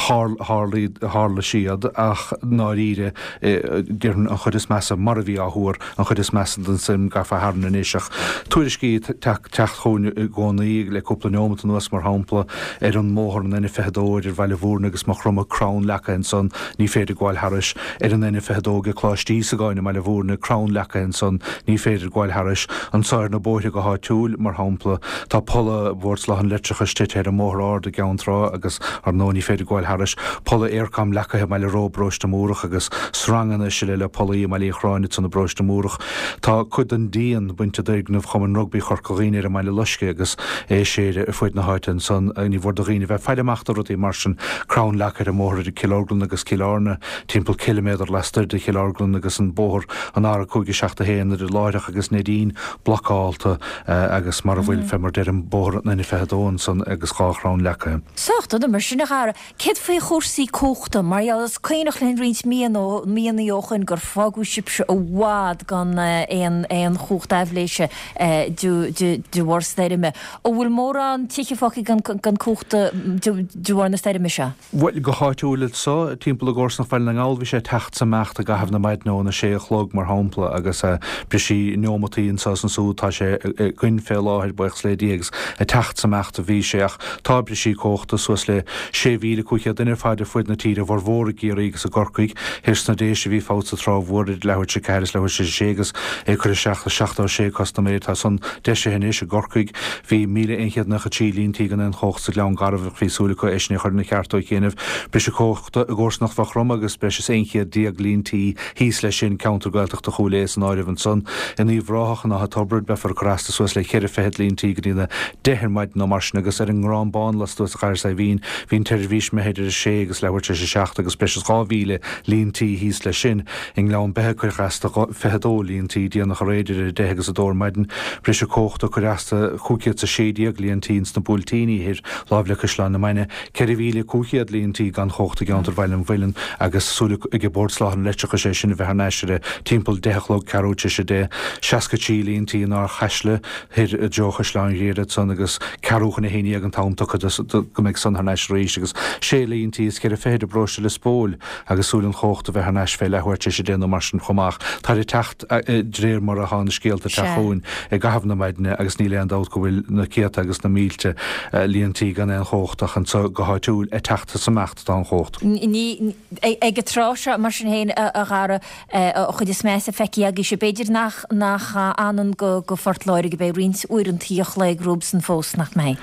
tharla siad ach ndáiríre déarfainn an chuid is measa mar a bhí á thuar, an chuid is measa den stoirm gafa tharainn anois ach tuairiscí ag teacht chugainn i gcónaí le cúpla neomat anuas mar shampla ar an mbóthar an N22 idir Bhaile Bhúirne agus Maigh Chromtha crann leagtha ansan ní féidir gabháil thairis, ar an N22 ag Coláiste Íosagáin i mBaile Bhúirne crann leagtha ansan ní féidir gabháil thairis, anso ar na bóithre go háitiúil mar shampla tá polla Bhord Soláthair an Leictreachais tite ar an mBóthar Ard i gCeann Trá agus ar ndóigh ní féidir gabháil thairis, polla Eircom leagtha i mBaile Ró i bparóiste Múrach agus sranganna is uile le pollaí i mBaile Uí Chorráin ansan i bparóiste Múrach. Tá cuid den díon bainte d'fhoirgneamh Chumann Rugbaí Chorca Dhuibhne ar an mBaile Loiscthe agus é ag séideadh ar fuaid na háite ansan. Ní mhór do dhaoine bheith ag faire amach do rudaí mar sin. Crann leagtha ar an mbóthar idir Cill Orglan agus Cill Airne, timpeall ciliméadar lastoir de Chill Orglan agus an bóthar an R571 idir Láithreach agus Neidín blocálta agus mar a bhfuil fé mar deirim bóthar an N22 ansan agus dhá chrann leagtha. Sách dona mar sin a Dhara. Céard faoi chúrsaí cumhachta? Mar gheall, is cuimhneach linn roinnt míonna ó shoin gur fágadh sibhse i bhfad gan aon aon chumhacht aibhléise de bharr stoirme. An bhfuil mórán tithe fágtha gan cumhacht de bharr na stoirme seo? Bhuel, go háitiúil. anso timpeall i gcomharsanacht Bhaile na nGall bhí sé ag teacht 's ag imeacht i gcaitheamh na maidne óna sé a chlog mar shampla agus brisí neomataí anso is ansúd. Tá sé againn fé láthair, buíochas le Dia, agus ag teacht 's ag imeacht a bhí sé ach tá brisí comhachta suas le 6,500 duine ar fad ar fuaid na tíre, a bhformhór i gCiarraí agus i gCorcaigh. Thoir sna Déise bhí fabht sa Trá Mhór idir leathuair tar éis a 4 is leathuair tar éis a 6 agus é curtha isteach le 76 custaiméir. Tá san deisithe anois i gCorcaigh. Bhí 1,193 líon tí gan aon chomhacht sa Ghleann Garbh ach bhí súil acu é sin a chur ina cheart ó chianaibh. Briseadh comhachta i gcomharsanacht Mhaigh Chromtha agus breis is 11 chéad líon tí thíos leis sin, ceantar Gaeltachta Chúil Aodha san áireamh ansan. In Uíbh Ráthach, in Áth Tobraid, beifear ag cur as do suas le ceithre fichead líon tí go dtí na deich ar maidin nó mar sin agus ar an nGrán Bán lastuas de Chathair Saidhbhín bhí an tseirbhís imithe idir a sé agus leathuair tar éis a seacht agus breis is 2,000 líon tí thíos leis sin. I nGleann Beithe cuireadh as do 22 líon tí déanach aréir idir 10 agus 2 ar maidin. Briseadh comhachta cuireadh as do 516 líon tí ins na Buailtíní thoir, láimh le Caisleán na Mainge, 4,500 líon tí gan chomhacht i gceantar Bhaile an Mhuilinn agus súil ag Bord Soláthair an Leictreachais é sin a bheith thar n-ais ar timpeall 10 a chlog, ceathrú tar éis a deich. 63 líon tí in Ardchaisle thoir i dtreo Chaisleán Ghriaire ansan agus ceathrú chun a haon dhéag an t-am tugtha do go mbeidh san thar n-ais arís agus sé líon tí is ceithre fichid i bparóiste Lios Póil agus súil an chomhacht a bheith thar n-ais fé leathuair tar éis a deich nó mar sin chomh maith. Táid ag teacht de réir mar atá na scéalta ag teacht chugainn i gcaitheamh na maidne agus níl aon dabht go bhfuil na céadta agus na mílte líon tí gan aon chomhacht ach anso go háitiúil ag teacht is ag imeacht atá an chomhacht. Ní ag an tráth seo mar sin féin a Dhara an chuid is measa feicthe agaibhse. B'fhéidir nach nach anonn go go Phort Láirge, beidh roinnt uaireantaí a chloig romhabhsan fós, nach mbeidh?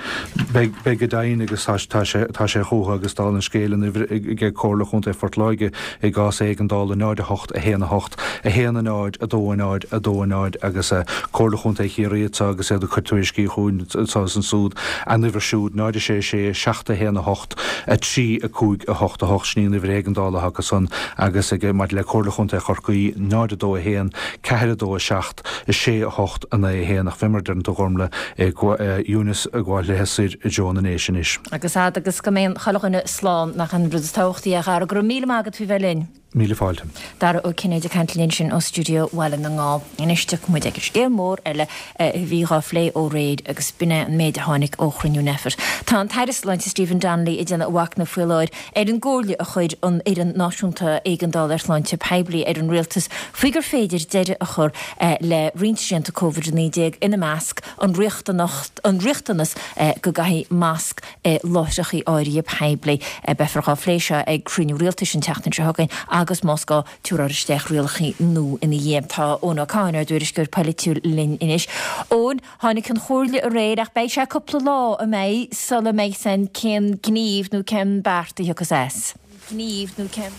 Beidh, beidh go deimhin agus tá tá sé tá sé chucu agus dála an scéil an uimhir ag Comhairle Chontae Phort Láirge i gcás éigeandála 0 8 1 8 1 0 2 0 2 0 agus Comhairle Chontae Chiarraí anseo agus iad ag cur tuairiscí chugainn anseo is ansúd, a n-uimhir siúd 0 6 6 7 1 8 3 5 8 8 sin í an uimhir éigeandála atá acu san agus ag maidir le Comhairle Chontae Chorcaí 0 2 1 4 2 7 6 8 9 1 ach fé mar a deireann tú a Ghormlaith ag Eunice ag gabháil léithe soir i dtreo na nDéise anois. Agus fhad agus go mbeidh chuile dhuine slán, nach an rud is tábhachtaí é a Dhara. Go raibh míle maith agat faoi bheith linn. Míle fáilte. Dara Ó Cinnéide ag caint linn ansin ó stiúideo Bhaile na nGall. Anois tiocfaidh muid ag an scéal mór eile a bhí dhá phlé ó aréir agus b'in é an méid a tháinig ó chruinniú Nphet. Tá an tAire Sláinte Stephen Donnelly ag déanamh a mhachnaimh faoi láthair ar an gcomhairle a chuir an Fhoireann Náisiúnta Éigeandála ar Shláinte Poiblí ar an Rialtas faoi gur féidir deireadh a chur le roinnt srianta Covid-19, ina measc an riachtanas go gcaithfí masc i láithreacha áirithe poiblí. Beifear dhá phlé seo ag cruinniú rialtais an tseachtain seo chugainn agus más gá tabharfar isteach rialacha nua ina dhiaidh. Tá Eoin Ó Catháin, ár dtuairisceoir polaitiúil linn anois. Eoin, tháinig an chomhairle aréir ach beidh sé cúpla lá, an mbeidh, sula mbeidh a fhios againn cén gníomh nó cén beart a thiocfas as. gníomh nó cén.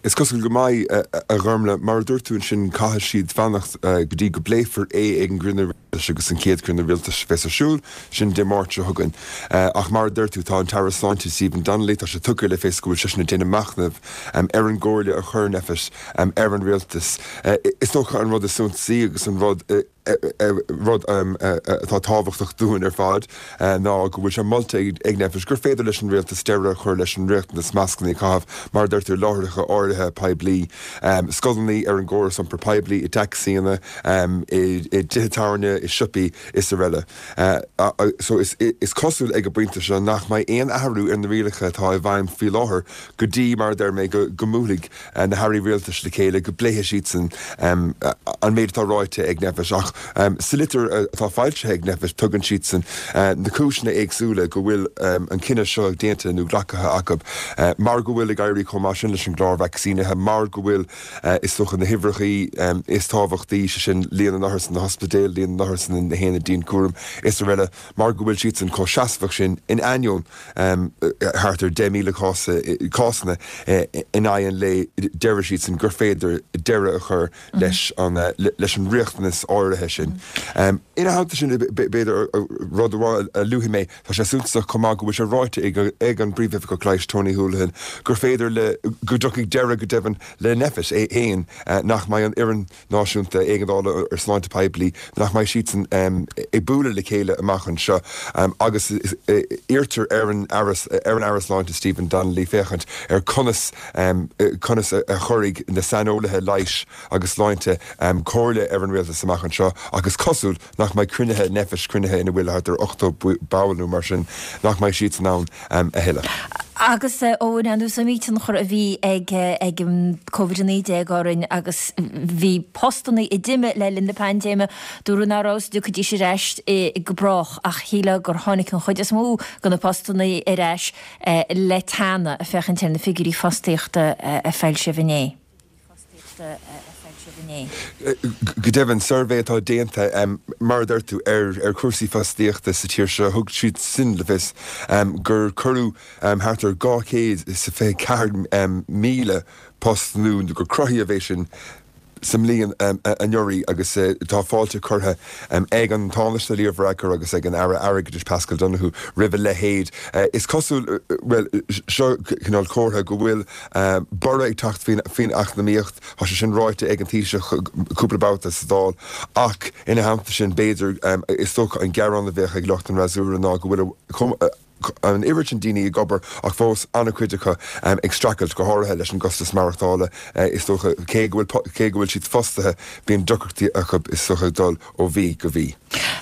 Is cosúil go mbeidh, a Ghormlaith. Mar a dúirt tú ansin, caithfidh siad fanacht go dtí go bpléifear é ag an gcruinniú rialtais agus an chéad chruinniú rialtais a bheas ar siúl, sin Dé Máirt seo chugainn. Ach mar a deir tú, tá an tAire Sláinte Stephen Donnelly, tá sé tugtha le fios go bhfuil seisean ag déanamh machnaimh ar an gcomhairle a chuir Nphet ar an rialtas. Is dócha an rud is suntasaí agus an rud, Rud atá tábhachtach dúinn ar fad ná go bhfuil sé molta ag Nphet gur féidir leis an rialtas deireadh a chur leis an riachtanas mascanna a chaitheamh, mar a deirtear, i láithreacha áirithe poiblí, scoileanna, ar an gcóras iompair poiblí, i dtacsaíonna, i dtithe tábhairne, i siopaí is araile. So is cosúil ag an bpointe seo nach mbeidh aon athrú ar na rialacha atá i bhfeidhm faoi láthair go dtí, mar a deir mé, go mbuailfidh na hairí rialtais le chéile, go bpléifidh siadsan an méid atá ráite ag Nphet. Ach sa litir atá foilsithe ag Nphet, tugann siadsan na cúiseanna éagsúla go bhfuil an cinneadh seo déanta nó glactha acu, mar go bhfuil ag éirí chomh maith sin leis an gclár vacsaínithe, mar go bhfuil, is dócha, na huimhreacha is tábhachtaí, sé sin líon na n-othar sna hospidéil, líon na n-othar sna haonaid dianchúraim is araile, mar go bhfuil siadsan chomh seasmhach sin in ainneoin thart ar 10,000 cás, cásanna in aghaidh an lae, deir siadsan gur féidir deireadh a chur leis an leis an riachtanas áirithe sin. Ina theannta sin, b'fhéidir rud amháin a luafaidh mé, tá sé suntasach chomh maith go bhfuil sé ráite ag an bPríomhoifigeach Leighis Tony Holohan gur féidir le, go dtiocfaidh deireadh go deimhin le Nphet é féin, nach mbeidh an fhoireann Náisiúnta Éigeandála ar Sláinte Poiblí nach mbeidh siadsan ag bualadh le chéile amach anseo agus iarrtar ar an ar an Aire Sláinte Stephen Donnelly féachaint ar conas conas a chuirfidh na saineolaithe leighis agus sláinte comhairle ar an rialtas amach anseo ach is cosúil nach mbeidh cruinnithe Nphet, cruinnithe ina bhfuil thart ar 80 ball nó mar sin, nach mbeidh siadsan ann a thuilleadh. Agus a Eoin, ar ndóigh is iomaí tionchar a bhí ag ag an Covid-19 orainn agus bhí postanna a d'imigh le linn na paindéime, dúradh nach raibh a fhios an dtiocfaidís ar ais go brách ach shílfeá gur tháinig an chuid is mó de na postanna ar ais le teannadh, ag féachaint ar na figiúirí fostaíochta a foilsíodh inné. Go deimhin, suirbhé atá déanta, mar a deir tú, ar chúrsaí fostaíochta sa tír seo, thug siad sin le fios gur cuireadh thart ar 224,000 post nua, nó gur cruthaíodh é sin, sa mbliain anuraidh agus tá fáilte curtha ag an Tánaiste Leo Varadkar agus ag an Aire Airgeadais Paschal Donohoe roimh a leithéid. Is cosúil, bhuel, seo cineál comhartha go bhfuil borradh ag teacht faoin eacnamaíocht, tá sé sin ráite ag an Taoiseach cúpla babhta sa Dáil ach ina theannta sin b'fhéidir, is dócha an gearán a bheadh ag lucht an fhreasúra ná go bhfuil an oiread sin daoine ag obair ach fós an-chuid acu ag streachailt, go háirithe leis an gcostas maireachtála. Is dócha, cé go bhfuil, cé go bhfuil siad fostaithe, bíonn deacrachtaí acu is dócha dul ó mhí go mí.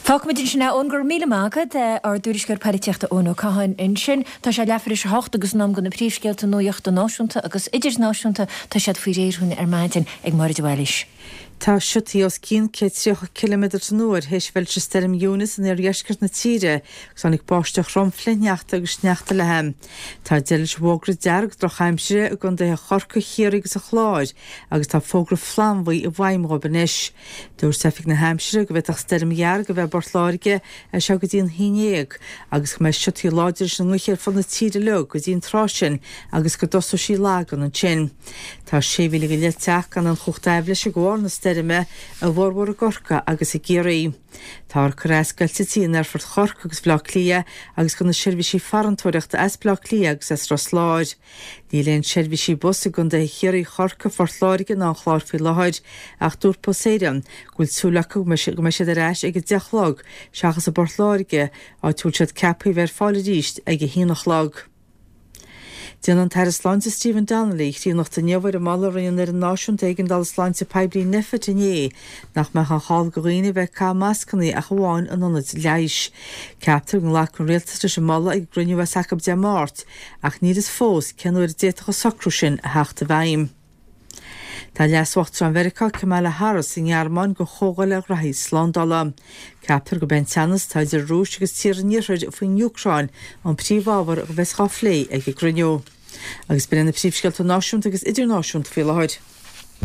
Fágfaimid ansin é, Eoin, go raibh míle maith agat, ár dtuairisceoir poilitíochta Eoin Ó Catháin ansin. Tá sé leathuair tar éis a hocht agus in am do na príomhscéalta nuachta náisiúnta agus idirnáisiúnta. Tá siad faoi réir dhúinn ar maidin ag Máire de Bhailís. Tá siotaí os cionn 130 ciliméadar san uair théis bheith leis an stoirm Eunice in iardheisceart na tíre agus tháinig báisteach throm flichshneachta agus sneachta léi. Tá deireadh leis an bhfógra dearg drochaimsire i gcontaetha Chorcaí, Chiarraí agus an Chláir agus tá fógra flannbhuí i bhfeidhm dhóibh anois. Dúirt Oifig na hAimsire go bhféadfadh stoirm dhearg a bheith i bPort Láirge as seo go dtí an haon dhéag agus go mbeidh siotaí láidre leis an ngaoth ar fud na tíre uilig go dtí an tráth sin agus go dtosóidh sí ag lagan ansin. Tá 6,000 go leith teach gan aon chumhacht aibhléise de bharr na stoirme, a bhformhór i gCorcaigh agus i gCiarraí. Táthar ag cur as scoil in Aerfort Chorcaí agus Bhaile Átha Cliath agus do na seirbhísí farantóireachta as Baile Átha Cliath agus as Ros Láir. Níl aon seirbhísí bus i gcontaetha Chiarraí, Chorcaí, Phort Láirge ná an Chláir faoi láthair ach dúirt Bus Éireann go bhfuil súil acu go mbeidh siad ar ais ag 10 a chlog seachas i bPort Láirge, áit a bhfuil siad ceaptha a bheith ar fáil arís ag 1 a chlog. Déanfaidh an tAire Sláinte Stephen Donnelly críonnacht inniu ar an moladh a rinne an Fhoireann Náisiúnta Éigeandála Sláinte Poiblí Nphet inné nach mbeadh aon chall do dhaoine a bheith ag caitheamh mascanna ach amháin in ionaid leighis. Ceaptar go nglacfaidh an Rialtas leis an moladh ag an gcruinniú a bheas acu Dé Máirt ach níl fhios fós cén uair a d'fhéadfadh an socrú sin a theacht i bhfeidhm. Tá Leas-Uachtarán Mheiriceá Kamala Harris sa nGearmáin do chomhdháil ar ghraithí slándála. Ceaptar gurb é an teannas atá idir an Rúis agus tíortha an Iarthair faoin Úcráin an príomhábhar a bheas á phlé ag an gcruinniú. Agus b'in iad na príomhscéalta náisiúnta agus idirnáisiúnta faoi láthair.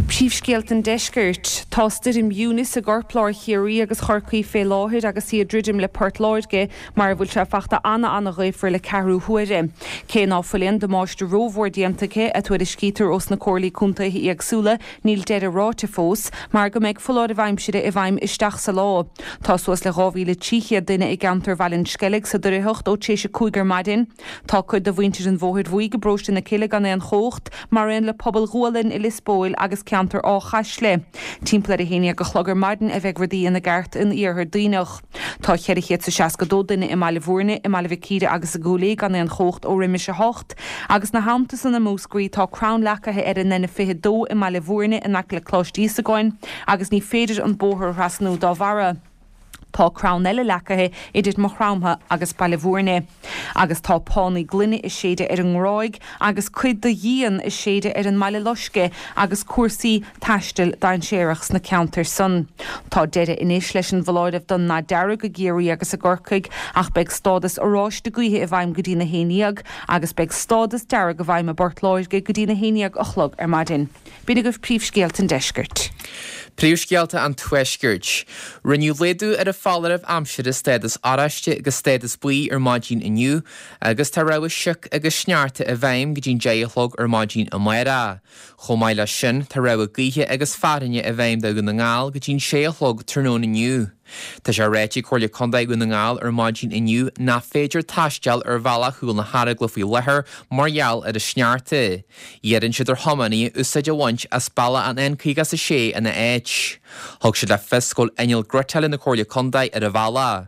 Príomhscéalta an Deiscirt. Tá stoirm Eunice i gcorplár Chiarraí agus Chorcaí fé láthair agus í ag druidim le Port Láirge mar a bhfuil sé fachta ana-ana-ghaofar le ceathrú huaire. Cé ná fuil aon damáiste rómhór déanta aici, a tuairiscítear ós na comhairlí contaetha éagsúla, níl deireadh ráite fós, mar go mbeidh foláireamh aimsire i bhfeidhm isteach sa lá. Tá suas le 2,300 duine i gceantar Bhaile an Sceilg sa doircheacht ó tar éis a 5 ar maidin. Tá cuid de mhuintir an Bhóthair Bhuí i bparóiste na Cille gan aon chumhacht, mar aon le pobal Ghualainn i Lios Póil agus ceantar Áth Chaisle. Timpeall ar 11 a chlog ar maidin a bheidh rudaí ina gceart in iarthar Duibhneach. Tá 462 duine i mBaile Bhúirne, i mBaile Mhic Íre agus i gCúil Aodha gan aon chumhacht ó roimis a hocht, agus 'na theannta san i Múscraí tá crann leacaithe ar an N22 i mBaile Bhúirne in aice le Coláiste Íosagáin agus ní féidir an bóthar a thrasnú dá bharra. Tá crann eile leacaithe idir Maigh Chromtha agus Baile Bhúirne. Agus tá pánaí gloine ag séideadh ar an nGráig agus cuid de dhíon ag séideadh ar an mBaile Loiscthe agus cúrsaí taistil dainséarach sna ceantair san. Tá deireadh anois leis an bhfoláireamh don ndath dearg i gCiarraí agus i gCorcaigh ach beidh stádas oráiste gaoithe i bhfeidhm go dtína haon dhéag agus beidh stádas dearg i bhfeidhm i bPort Láirge go dtína haon dhéag a chlog ar maidin. B'in agaibh príomhscéalta an deiscirt. Príomhscéalta an Tuaiscirt. Rinneadh laghdú ar an foláireamh aimsire stádas oráiste go stádas buí ar maidin inniu agus tá rabhadh sioc agus sneachta i bhfeidhm go dtí'n 10 a chlog ar maidin amárach. Chomh maith leis sin, tá rabhadh gaoithe agus fearthainne i bhfeidhm do Dhún na nGall go dtí'n 6 a chlog tráthnóna inniu. Tá sé ráite ag Comhairle Contae Dhún na nGall ar maidin inniu nach féidir taisteal ar bhealach Chúil na hEaragla faoi láthair mar gheall ar an sneachta. Iarrann siad ar thiománaithe úsáid a bhaint as bealach an N56 ina áit. Thug siad le fios go bhfuil inneall gréatála na Comhairle Contae ar an bhealach.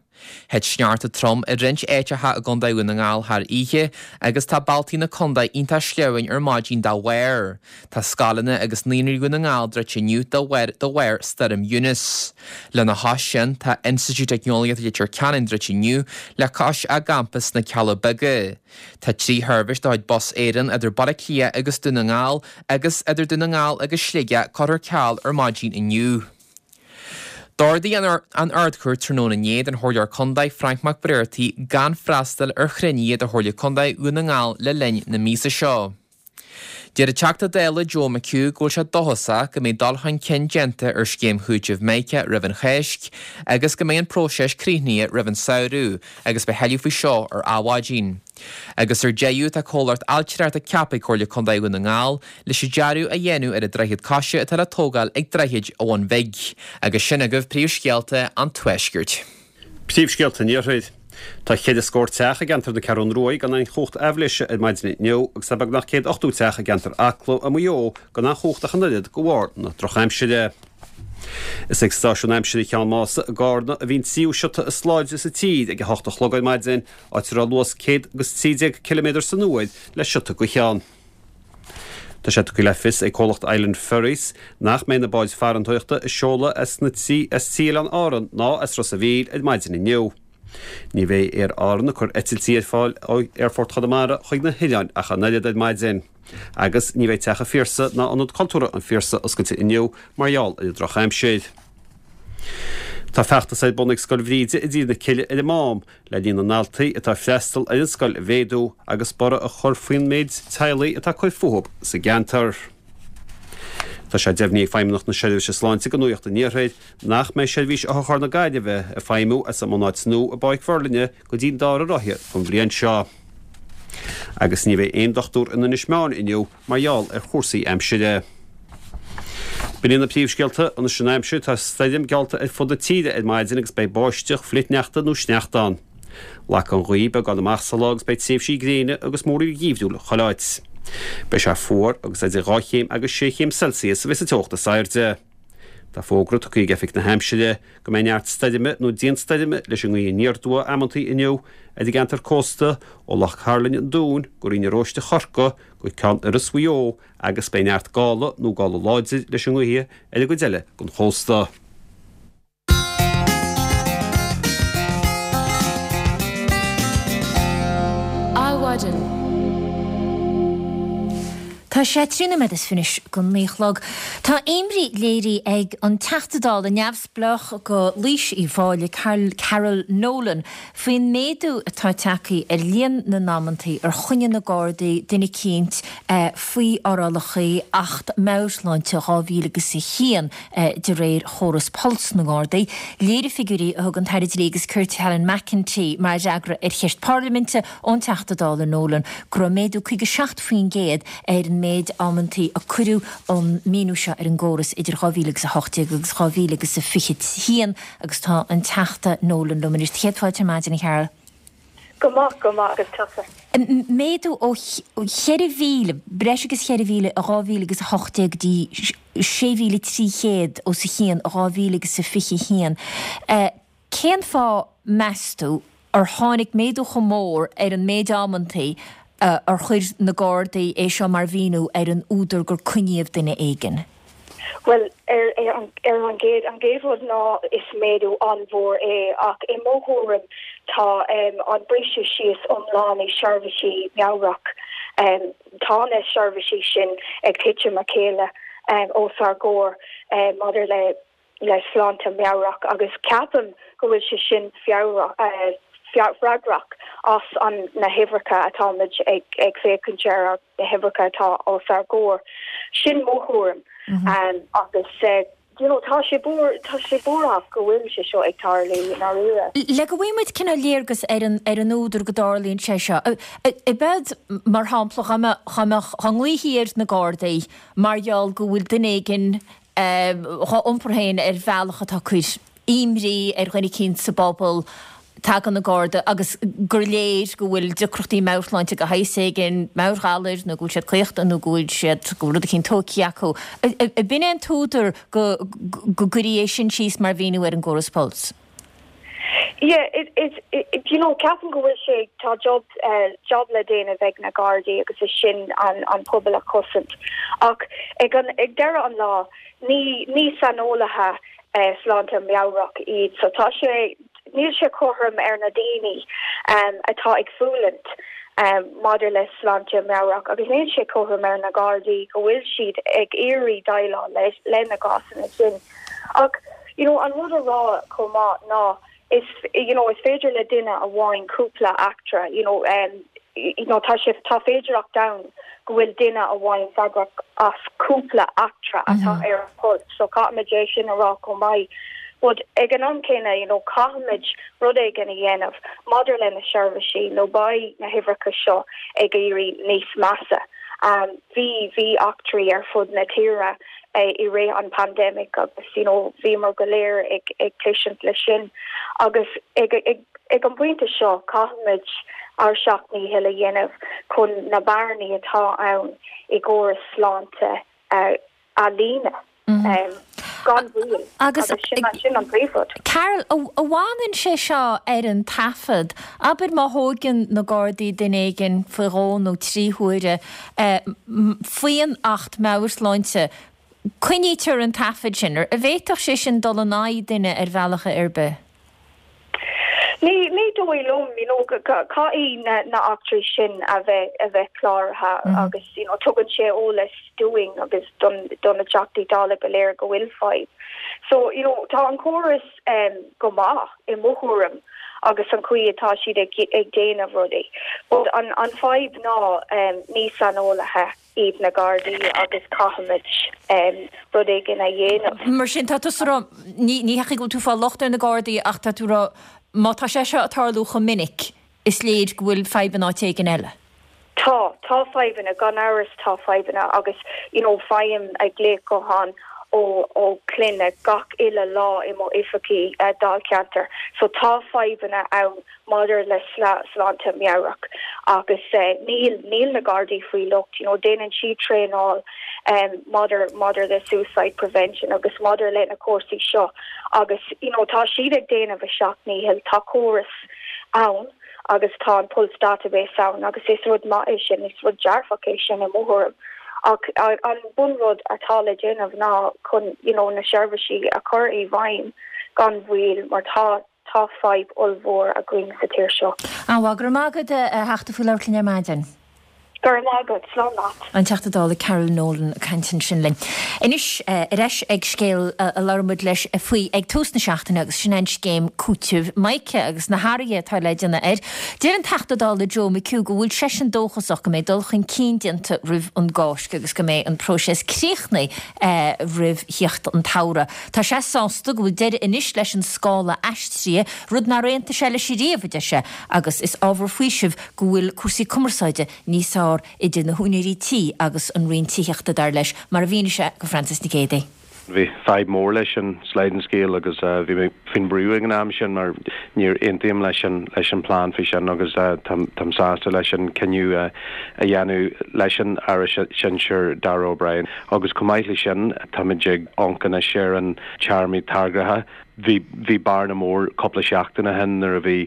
Thit sneachta trom i roinnt áiteacha i gContae Dhún na nGall thar oíche agus tá bealtaí na contae iontach sleamhain ar maidin dá bharr. Tá scoileanna agus naíonraí Dhún na nGall druidte inniu de bharr de bharr Stoirm Eunice. Lena chois sin, tá Institiúid Teicneolaíochta Leitir Ceanainn druidte inniu le cois a gcampas sna Cealla Beaga. Tá 3 sheirbhís de chuid Bus Éireann idir Baile Átha Cliath agus Dún na nGall agus idir Dún na nGall agus Sligeach curtha ar ceal ar maidin inniu. D'ordaigh an Ard-Chúirt tráthnóna inné don Chomhairleoir Contae Frainc Mac Briartaigh gan freastal ar chruinnithe de Chomhairle Contae Dhún na nGall le linn na míosa seo. Deir an Teachta Dála Joe McHugh go bhfuil sé dóchasach go mbeidh dul chun cinn déanta ar scéim chúitimh Mica roimh an Cháisc agus go mbeidh an próiseas críochnaithe roimh an samhradh agus beidh tuilleadh faoi seo ar Adhmhaidin. Agus ar deireadh tá comhlacht ailtireachta ceaptha ag Comhairle Contae Dhún na nGall leis an dearadh a dhéanamh ar an droichead coise atá le tógáil ag Droichead an Bhun Bhig. Agus sin agaibh príomhscéalta an Tuaiscirt. Príomhscéalta an Iarthair. Tá cheithre scór teach i gceantar na Ceathrún Ruaidh gan aon chumhacht aibhléise ar maidin inniu agus tá beagnach 180 teach i gceantar Acla i Maigh Eo gan aon chumhacht ach an oiread de bharr na drochaimsire. Is ag stáisiún aimsire Cheann Mása i gCarna a bhí an tríú siota is láidre sa tír ag a hocht a chlog ar maidin, áit a raibh luas 113 ciliméadar san uair le siota gaoithe ann. Tá sé tugtha le fios ag comhlacht Island Ferries nach mbeidh na báid farantóireachta ag seoladh as na trí as trí Oileán Árann ná as Ros a' Mhíl ar maidin inniu. Ní bheidh Aer Árann ag cur eitiltí ar fáil ó Aerfort Chonamara chuig na hoileáin ach an oiread ar maidin. Agus ní bheidh Teach an Phiarsaigh ná Ionad Cultúrtha an Phiarsaigh oscailte inniu mar gheall ar an drochaimsir. Tá feachtas ar bun ag Scoil Bhríde i dTír na Cille ar an Mám le líon na ndaltaí atá ag freastal ar an scoil a mhéadú agus borradh a chur faoin méid teaghlaigh atá ag cur fúthu sa gceantar. Tá sé deimhnithe ag Feidhmeannacht na Seirbhíse Sláinte do Nuacht an Iarthair nach mbeidh seirbhís otharcharr na Gaillimhe ag feidhmiú as a mbunáit nua i bPáirc Mhuirlinne go dtí an dara ráithe den bhliain seo. Agus ní bheidh aon dochtúir in Inis Meáin inniu mar gheall ar chúrsaí aimsire. B'in iad na príomhscéalta anois an aimsir. Tá stoirm geallta ar fud na tíre ar maidin agus beidh báisteach, flichshneachta nó sneachta ann. Lagfaidh an ghaoth beagán amach sa lá agus beidh tréimhsí gréine agus múraíl gheimhriúil chuile áit. Beidh sé fuar agus idir 2 chéim agus 6 chéim Celsius a bheidh sa teocht is airde. Tá fógra tugtha ag Oifig na hAimsire go mbeidh neart stoirme nó dianstoirme leis an ngaoth aniar aduaidh amantaí inniu ar an gceantar cósta ó Loch Cairlinn an Dúin go Rinn an Róiste Chorcaí go Ceann Iorrais Mhaigh Eo agus beidh neart gála nó gála láidir leis an ngaoth ar an gcuid eile den chósta. Adhmhaidin. Tá sé 13 nóiméad is 20 go 9 a chlog. Tá imní léirithe ag an Teachta Dála neamhspleách do Laois Uíbh Fhailí, Carol Nolan, faoin méadú atá tagtha ar líon na n-amantaí ar choinnigh na Gardaí duine eicínt faoi fhorálacha Acht Meabhair-Shláinte 2001 de réir chóras Pulse na nGardaí. Léirigh figiúirí a thug an tAire Dlí agus Cirt Helen McEntee mar fhreagra ar cheist parlaiminte ón Teachta Dála Nolan go raibh méadú 57% ar an méid amantaí a cuireadh an míniú seo ar an gcóras idir 2018 agus 2021. Agus tá an Teachta Nolan liom anois. Céad fáilte ar maidin, a Carol. Go maith, go maith, agus tusa? Méadú ó 4,000, breis agus 4,000 i 2018 go dtí 6,300 os a chionn i 2021. Cén fáth, meas tú, ar tháinig méadú chomh mór ar an méid amantaí ar chuir na Gardaí é seo mar mhíniú ar an údar gur coinníodh duine éigin? Bhuel, ar an gcéad, an gcéad rud ná is méadú an-mhór é ach i mo thuairim tá an briseadh síos iomlán i seirbhísí meabhrach, tá na seirbhísí sin ag titim a chéile os ár gcomhair maidir le le sláinte meabhrach agus ceapaim go bhfuil sé sin freagrach as an na huimhreacha atáimid ag ag féachaint ar, na huimhreacha atá os ár gcomhair. Sin mo thuairim agus you know tá sé tá sé buarthach go bhfuil sé seo ag tarlú i ndáiríre. Le go bhfaighidh muid cineál léargas ar an ar an údar go dtarlaíonn sé seo, ab ead mar shampla dá mbeadh dá mbeadh dá nglaofaí ar na Gardaí mar gheall go bhfuil duine éigin dhá iompar féin ar bhealach atá ag cur imní ar dhuine eicínt sa bpobal, tagann an Garda agus gur léir go bhfuil deacrachtaí meabhairshláinte de shaghas éigin, meabhairghalair nó go bhfuil siad caochta nó go bhfuil siad, go bhfuil rud eicínt tógtha acu. Ab in é an t-údar go go gcuirí é sin síos mar mhíniú ar an gcóras Pulse? Yeah, it, it, it, you know, ceapaim go bhfuil sé, tá job, job le déanamh ag na Gardaí agus is sin an, an pobal a chosaint. Ach ag an, ag deireadh an lá, ní, ní saineolaithe sláinte meabhrach iad, so tá sé, níl sé cothrom ar na daoine atá ag fulaingt maidir le sláinte meabhrach agus níl sé cothrom ar na Gardaí go bhfuil siad ag iarraidh déileáil le, le na gcásanna sin. Ach, you know, an rud a rá chomh maith ná is, you know, is féidir le duine amháin cúpla eachtra, you know, um, you know, tá sé, tá féidearthacht ann go bhfuil duine amháin freagrach as cúpla eachtra atá ar an Pulse, so caithfimid é sin a rá chomh maith. But ag an am céanna, you know, caithfimid rud éigin a dhéanamh maidir le na seirbhísí nó beidh na huimhreacha seo ag éirí níos measa. Um, bhí, bhí eachtraí ar fud na tíre i rith an pandemic agus you know bhíomar go léir ag ag tuiscint le sin agus ag ag ag an bpointe seo caithfimid ár seacht ndícheall a dhéanamh chun na bearnaí atá ann i gcóras sláinte a a líonadh gan mhoill Agus agus sin sin an príomhrud. Carol, an bhfanann sé seo ar an taifead? Abair má thóigeann na Gardaí duine éigin faoi dhó nó 3 huaire, Faoin Acht Meabhair-Shláinte, coinnítear an taifead sin. An bhféadfadh sé sin dul in aghaidh duine ar bhealach ar bith? Ní, ní dóigh liom, you know, caithfidh na, na eachtraí sin a bheith, a bheith cláraithe agus, you know, tugann sé eolas dúinn agus don, do na Teachtaí Dála go léir go bhfuil fadhb. So, you know, tá an córas go maith i mo thuairim agus an chaoi atá siad ag ag déanamh rudaí. But an an fadhb ná ní saineolaithe iad na Gardaí agus caithfimid rud éigin a dhéanamh. Mar sin, tá tusa ag rá, ní ní hea go bhfuil tú ag fáil locht ar na Gardaí ach tá tú ag rá má tá sé seo ag tarlú chomh minic, is léir go bhfuil fadhb in áit éigin eile. Tá, tá fadhbanna, gan amhras tá fadhbanna agus you know faighim glaoch gutháin ó ó clainne gach uile lá i mo oifigí dáilcheantair so tá fadhbanna ann maidir le sláinte meabhrach agus níl níl na Gardaí faoi locht you know déanann siad traenáil maidir maidir le suicide prevention agus maidir le na cúrsaí seo agus you know tá siad ag déanamh a seacht ndícheall tá córas ann agus tá an Pulse Database ann agus is rud maith é sin, is rud dearfach é sin i mo thuairim. Ach an bunrud atá le déanamh ná chun you know na seirbhísí a chur i bhfeidhm gan mhoill mar tá tá fadhb ollmhór againn sa tír seo. An-mhaith, go raibh maith agat a Theachta faoi labhairt linn ar maidin. Go raibh maith agat. Slán leat. An Teachta Dála Carol Nolan ag caint ansin linn. Anois, ar ais ag scéal a labhair muid leis faoi ag tús na seachtaine agus sin é an scéim cúitimh Mica agus na hathruithe atá le déanamh air. Deir an Teachta Dála Joe McHugh go bhfuil seisean dóchasach go mbeidh dul chun cinn déanta roimh an gCáisc agus go mbeidh an próiseas críochnaithe roimh thíocht an tsamhraidh. Tá sé sásta go bhfuil deireadh anois leis an scála aistrithe, rud nár aontaigh sé leis ariamh, a deir sé, agus is ábhar faoisimh go bhfuil cúrsaí cumarsáide níos fearr idir na húinéirí tí agus an Roinn Tithíochta, dar leis, mar a mhínigh sé go Frances Nic Géadaigh. Bhí fadhb mór leis an sliding scale agus bhí mé faoin brú ag an am sin mar níor aontaím leis an leis an plean faoi sin agus táim sásta leis an cinneadh a dhéanamh leis an Aire Sinsir Darragh O'Brien agus chomh maith leis sin táimid ag amharc anois ar an téarmaí tagartha Bhí, bhí bearna mór cúpla seachtain ó shin nuair a bhí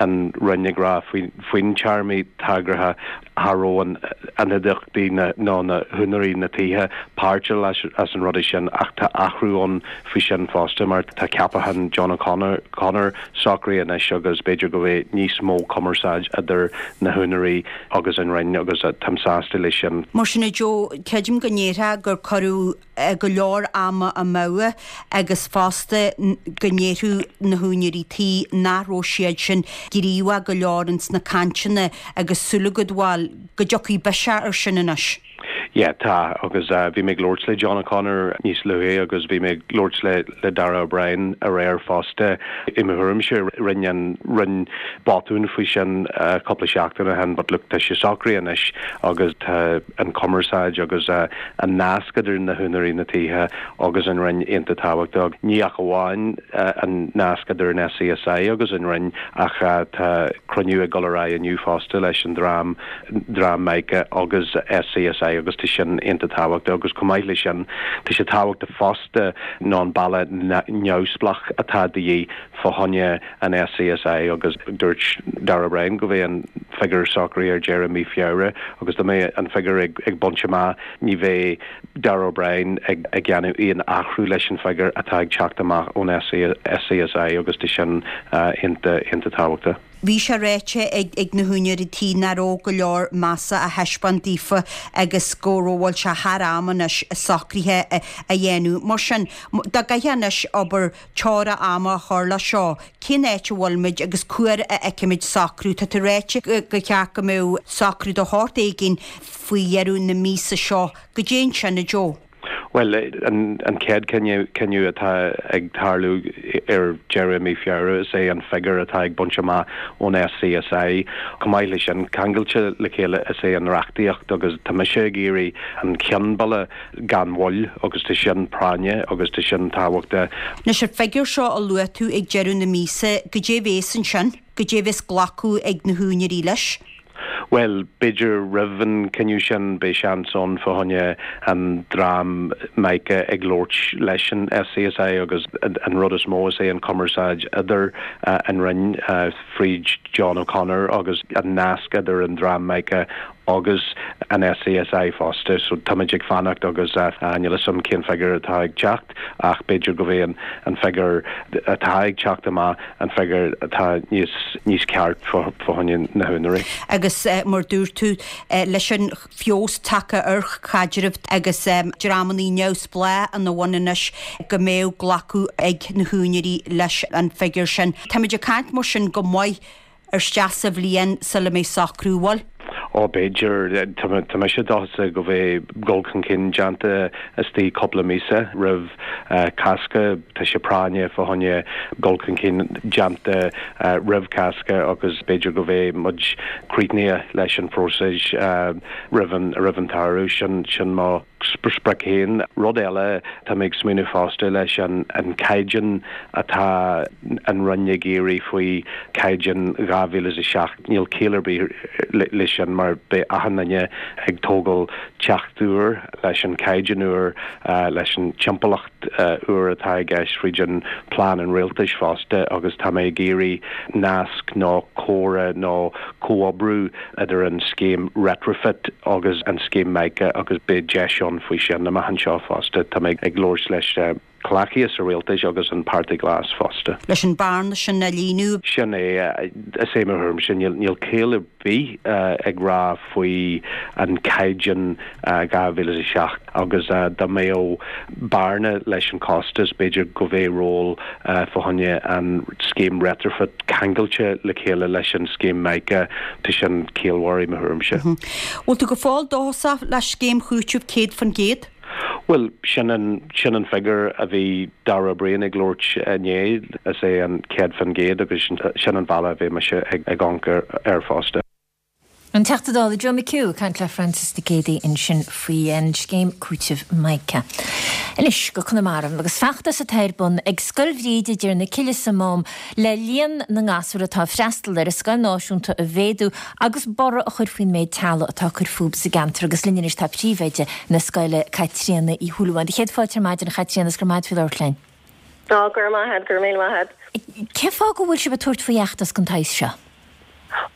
an Roinn ag rá faoi, faoin téarmaí tagartha cha raibh an, an chuideachtaí na, nó na húinéirí na tithe páirteach as, as an rudaí sin ach tá athrú ann faoi sin fosta mar tá ceapachán John O'Connor Connor socraithe anois agus b'fhéidir go mbeidh níos mó cumarsáid idir na húinéirí agus an Roinn agus táim sásta leis sin. Mar sin a Joe, creidim go ndéarfá gur cuireadh go leor ama amú agus fosta go ndéarfadh na húinéirí tí nach raibh siad sin gníomhach go leor ins na cainteanna agus súil agat bhuel go dtiocfaidh biseach ar sin anois. Yeah, tá, agus bhí mé ag labhairt le John O'Connor níos luaithe agus bhí mé ag labhairt le le Darragh O'Brien aréir fosta. I mo thuairimse, rinne an Roinn botún faoi sin cúpla seachtain ó shin but look, tá sé socraithe anois agus tá an cumarsáid agus an nasc idir na húinéirí na tithe agus an Roinn iontach tábhachtach. Ní ach amháin an nasc idir an SCSI agus an Roinn ach tá cruinniú ag dul ar aghaidh inniu fosta leis an dream, dream Mica agus SCSI agus tá. tá sin iontach tábhachtach agus chomh maith leis sin tá sé tábhachtach fosta ná an bealach neamhspleách atá de dhíth fá choinne an SCSI agus dúirt Darragh O'Brien go mbeidh an figiúr socraithe ar deireadh mí Feabhra agus dá mbeidh an figiúr ag baint amach ní bheidh Darragh O'Brien ag déanamh aon athrú leis an figiúr atá ag teacht amach ón SCSI agus tá sin iontach tábhachtach. Bhí sé ráite ag na húinéirí tí nach raibh go leor measa á thaispeáint daofa agus go raibh bhfuil sé thar am anois socruithe a dhéanamh. Mar sin, dá gcaithfeá anois obair teora ama a chur leis seo, cén áit a bhfuilimid agus cá huair a fheicfimid socrú? Tá tú ráite go cheart go mbeadh socrú de shórt éigin faoi dheireadh na míosa seo. Goidé ansin, a Joe? Bhuel, an chéad chinneadh atá ag tarlú ar deireadh mí Feabhra is é an figiúr atá ag baint amach ón SCSI. Chomh maith leis sin, ceangailte le chéile is é an reachtaíocht agus tá mise ag iarraidh an ceann bille gan mhoill agus tá sin práinne agus tá sin tábhachtach. Anois, an figiúr seo a luaigh tú ag deireadh na míosa, goidé a bhéas ansin? Goidé a bhéas glacadh ag na húinéirí leis? Bhuel, b'fhéidir roimh an cinneadh sin beidh seans ann fá choinne an dream MICA ag labhairt leis an SCSI agus an rud is mó is é an cumarsáid idir an Roinn fríd John O'Connor agus an nasc idir an dream MICA agus an SCSI fosta. So táimid ag fanacht agus níl a fhios agam cén figiúr atá ag teacht ach b'fhéidir go bheidh an figiúr atá ag teacht amach an figiúr atá níos níos ceart fá choinne na húinéirí. Agus mar dúirt tú, leis an feabhas tagtha ar chaidreamh agus dreamannaí neamhspleách ina bhun anois go mbeadh glacadh ag na húinéirí leis an figiúr sin. Táimid ag caint mar sin go maith ar isteach sa bhliain sula mbeidh socrú, bhfuil? Ó, b'fhéidir. Tá mise dóchasach go mbeidh dul chun cinn déanta istigh cúpla míosa roimh Cásca. Tá sé práinne fá choinne dul chun cinn déanta roimh Cásca agus b'fhéidir go mbeidh muid críochnaithe leis an phróiseas roimh an roimh an tsamhradh. Sin sin mo. sprioc féin. Rud eile, tá mé ag smaoineamh fosta leis an caighdeán atá an Roinn ag iarraidh faoi caighdeán 2007, níl ciall ar bith leis sin mar beidh achan duine ag tógáil teach úr leis an caighdeán úr, leis an timpeallacht úr atá i gceist fríd an plean an rialtais fosta agus tá mé ag iarraidh nasc nó comhrá nó comhoibriú idir an scéim Retrofit agus an scéim MICA agus beidh deis ann faoi sin amach anseo fosta. Tá mé ag labhairt leis comhghleacaithe sa Rialtas agus an Páirtí Glas fosta. Leis an bearna sin a líonadh. Sin é. Is é mo thuairimse, níl ciall ar bith ag rá faoi an caighdeán 2007 agus dá mbeadh bearna leis an costas, b'fhéidir go mbeadh ról fá choinne an scéim Retrofit ceangailte le chéile leis an scéim MICA, tá sin ciallmhar i mo thuairimse. Bhfuil tú go fóill dóchasach le scéim chúitimh 100%? Bhuel, sin an, sin an figiúr a bhí Darragh O'Brien ag labhairt inné, is é an 100% agus sin an bealach a bheidh mise ag amharc air fosta. An Teachta Dála Joe McHugh ag caint le Francis Mhic Géadaigh ansin faoin scéim cúitimh MICA. Anois go Conamara agus feachtas atá ar bun ag Scoil Bhríde i dTír na Cille sa Mám le líon na ngasúr atá ag freastal ar an scoil náisiúnta a mhéadú agus borradh a chur faoin méid teaghlaigh atá ag cur fúthu sa gceantar agus linn anois tá príomhoide na scoile Caitríona Uí Shúilleabháin. Céad fáilte ar maidin a Chaitríona is go raibh maith agat faoi labhairt linn. Á, go raibh maith agat, go raibh míle maith agat. Cén fáth go bhfuil sibh ag tabhairt faoi fheachtas den tsaghas seo?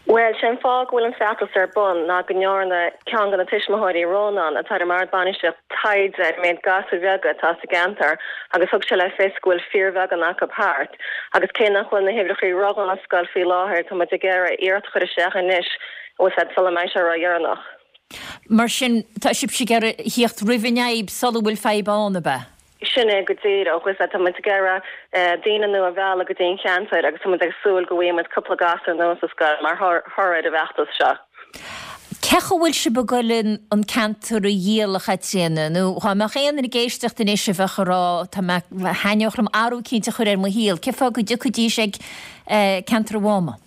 Bhuel, sé an fáth go bhfuil an feachtas ar bun ná go ndearna ceann de na tuismitheoirí, Rónán, atá ar an mBord Bainistíochta, taighde ar an méid gasúir bheaga atá sa gceantar agus thug sé le fios go bhfuil fíorbheagán acu thart. Agus cé nach bhfuil na huimhreacha ródhona sa scoil faoi láthair, tá muid ag iarraidh iarracht a chur isteach anois, bhfuil 's a'd, sula mbeidh sé ródheireanach. Mar sin, tá sibhse ag iarraidh a thíocht roimh an fhadhb sula bhfuil fadhb ann, ab ea? Sin é go díreach. Bhfuil 's a'd, tá muid ag iarraidh daoine nua a mhealladh go dtí an cheantar agus tá muid ag súil go bhfaighidh muid cúpla gasúr nua sa scoil mar thoradh ar an bhfeachtas seo. Cén chaoi a bhfuil sibh ag goil an ceantar a dhíol, a Chaitríona? Nó dhá mbeadh aon duine ag éisteacht anois a bheadh ag rá tá mé, thaitneodh liom athrú eicínt a chur ar mo shaol, cén fáth go dtiocfaidís ag ceantar an Mháma?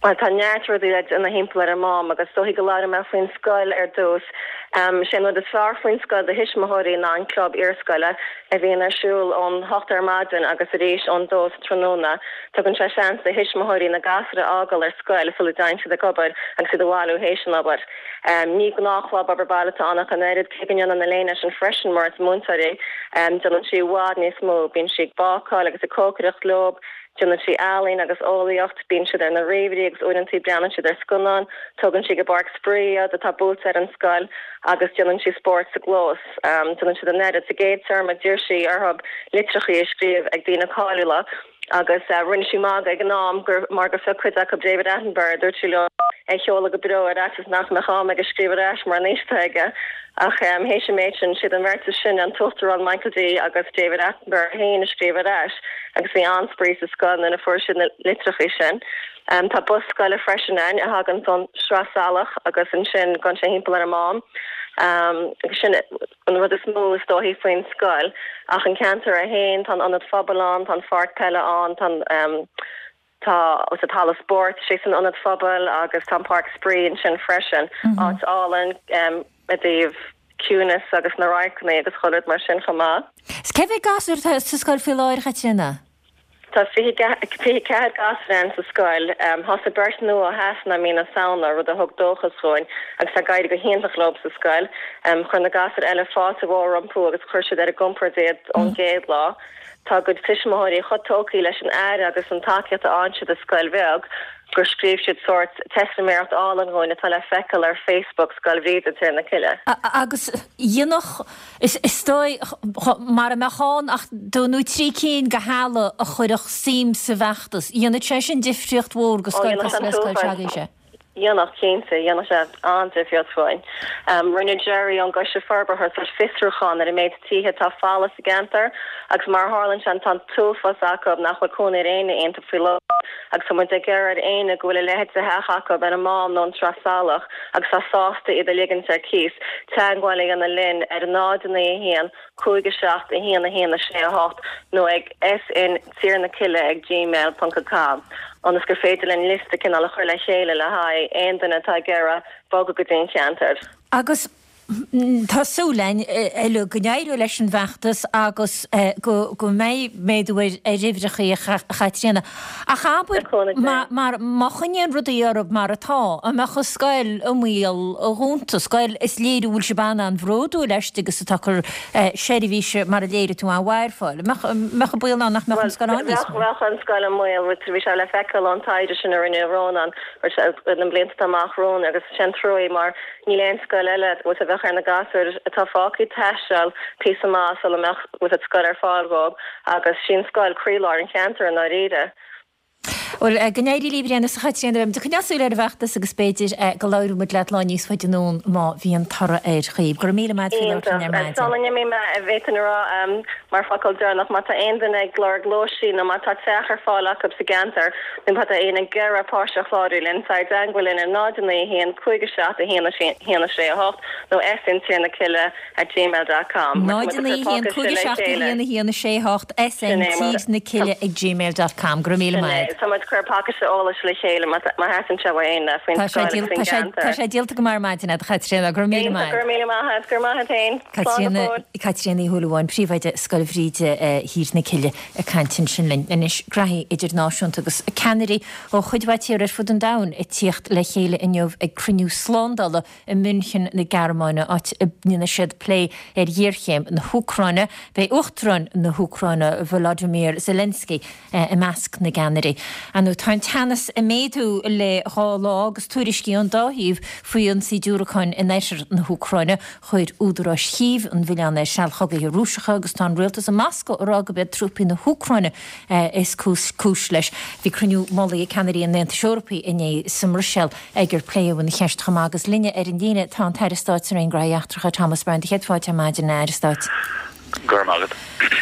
Bhuel, tá neart rudaí le déanamh thimpeall ar an Mám agus is dóichí go labhróidh mé faoin scoil ar dtús. Sé an rud is fearr faoin scoil do thuismitheoirí ná an club iarscoile a bhíonn ar siúl ón hocht ar maidin agus arís ón dó sa tráthnóna. Tugann sé seans do thuismitheoirí na gasúir a fhágáil ar scoil sula dtéann siad ag obair agus iad a bhailiú théis an obair. Ní gnáthchlub obair baile atá ann ach an oiread, cé go ndéanann Elaine é sin freisin mar is múinteoir í. Déanann sí i bhfad níos mó, bíonn sí ag bácáil agus ag cócaireacht leo. Déanann sí ealaín agus eolaíocht, bíonn siad ar na ríomhairí agus uaireantaí breathnaíonn siad ar scannáin, tógann sí go páirc spraoi iad atá buailte ar an scoil agus déanann sí spórt sa gclós. Déanann siad an oiread. Sa gcéad téarma d'iarr sí orthu litreachaí a scríobh ag daoine cáiliúla agus rinne sí magadh ag an am gur mar gur phioc cuid acu David Attenborough, dúirt sí leo é a sheoladh go breo ar fhaitíos nach mbeadh am aige scríobh ar ais mar an aois atá aige. Ach théis an méid sin, siad an bheirt is sine, an tUachtarán Michael D agus David Attenborough féin a scríobh ar ais agus bhí an-spraoi sa scoil nuair a fuair siad na litreachaí sin. Tá bus scoile freisin ann a thagann ón Sraith Salach agus ansin gabhann sé thimpeall ar an Mám. Agus sin an rud is mó is dóichí faoin scoil. Ach an ceantar é féin, tá an ionad phobail ann, tá an pháirc peile ann, tá an. Tá an halla spóirt istigh san ionad phobail agus tá an páirc spraoi ansin freisin, áit álainn i dtaobh ciúnas agus na radharcanna agus chuile rud mar sin chomh maith. 'S cé mhéad gasúr atá sa scoil faoi láthair, a Chaitríona? Tá 24 gasúr ann sa scoil. Thosaigh beirt nua ó Shasana i mí na Samhna, rud a thug dóchas dhúinn, agus tá ag éirí go hiontach leo sa scoil. Chuir na gasúir eile fáilte mhór rompu agus chuir siad ar a gcompord iad ón gcéad lá. Tá a gcuid tuismitheoirí chomh tógtha leis an aire agus an tacaíocht a fhaigheann siad i scoil bheag gur scríobh siad sórt teistiméireacht álainn dhúinn atá le feiceáil ar Facebook Scoil Bhríde, Tír na Cille. Agus dhéanfadh, is dóigh, mara mbeadh ann ach dó nó trí cinn de theaghlaigh a chuirfeadh suim sa bhfeachtas, dhéanfadh sé sin difríocht mhór do scoil cosúil le scoil s'agaibhse. Dhéanfadh, cinnte. Dhéanfadh sé an-difríocht dhúinn. Rinne Gerry ón gCoiste Forbartha sórt fiosrúchán ar an méid tithe atá folamh sa gceantar agus mar a tharlaíonn sé tá an t-uafás acu nach bhfuil cónaí ar éinne iontu faoi láthair agus tá muid ag iarraidh ar éinne go bhfuil a leithéid de theach acu ar an Mám nó an tSraith Salach agus tá sásta iad a ligint ar cíos, teagmháil a dhéanamh linn ar 0 9 1 5 7 1 1 6 8 nó ag SN Tír na Cille ag gmail ponc com ionas gur féidir linn liosta cineál a chur le chéile le haghaidh aon duine atá ag iarraidh bogadh go dtí an cheantar. Agus tá súil againn uilig go n-éireoidh leis an bhfeachtas agus go mbeidh méadú ar uimhreacha, a Chaitríona. Ach abair, mar má choinníonn rudaí orthu mar atá, an mbeadh an scoil i mbaol a dhúnta? Scoil is léir go bhfuil sibh an-an-bhródúil aisti agus atá ag cur seirbhíse mar a léirigh tú an-mhaith ar fáil. An mbeadh an baol ann nach mbeadh an scoil ann níos mó? Bheadh an scoil i mbaol. Bhí sé le feiceáil ón taighde sin a rinne Rónán na blianta atá amach romhainn agus sé an trua mar níl aon scoil eile a bheadh ar na gasúir atá fágtha taisteal píosa maith sula mbeadh scoil ar fáil dhóibh agus sí an scoil croílár an cheantair i ndáiríre. Bhuel, go n-éirí libh ar aon nós a Chaitríona, beidh muid ag coinneáil súil ar an bhfeachtas agus b'fhéidir go labhróidh muid leat lá níos faide anonn má bhíonn toradh air dhaoibh. Go raibh míle maith agat faoi labhairt linn ar maidin. Sula n-imím, an bhféadfainn a rá mar focal deireanach, má tá aon duine ag lorg lóistín nó má tá teach ar fáil acu sa gceantar nó má tá éinne ag iarraidh páiste a chlárú linn, tar i dteagmháil linn ar 0 9 1 5 7 1 1 6 8 nó SN Tír na Cille at gmail dot com. 0 9 1 5 7 1 1 6 8 SN Tír na Cille ag gmail dot com. Go raibh míle maith agat. Tá muid ag cur pacáiste eolais le chéile má theastaíonn sé uaidh éinne faoin scoil agus faoin gceantar. Tá sé díolta go maith ar maidin agat, a Chaitríona. Go raibh míle maith. Go raibh míle maith agat. Go raibh maith agat féin. Slán go fóill. Caitríona Ní Shúilleabháin, Príomhoide Scoil Bhríde Thír na Cille ag caint ansin linn. Anois, graithí idirnáisiúnta agus ceannairí ó chuid mhaith tíortha ar fud an domhain ag tíocht le chéile inniu ag cruinniú slándála i München na Gearmáine, áit a ndéanfaidh siad plé ar ghéarchéim na hÚcráine. Beidh Uachtarán na hÚcráine, Volodymyr Zelensky, i measc na gceannairí. Ar ndóigh, tá an teannas ag méadú le dhá lá agus tuairiscí ón dá thaobh faoi ionsaí diúracáin in oirthear na hÚcráine. Chuir údaráis Chív an milleán ar sealchogaithe Rúiseacha agus tá an rialtas i Moscó ag rá gurb iad trúpaí na hÚcráine is cúis leis. Bhí cruinniú mullaigh ag ceannairí an Aontais Eorpaigh inné sa mBruiséil. ag ar pléadh an cheist chomh maith agus linne ar an líne tá an tAire Stáit sa Roinn Gnóthaí Eachtracha, Thomas Byrne. Do chéad fáilte ar maidin, a Aire Stáit. Go raibh maith agat.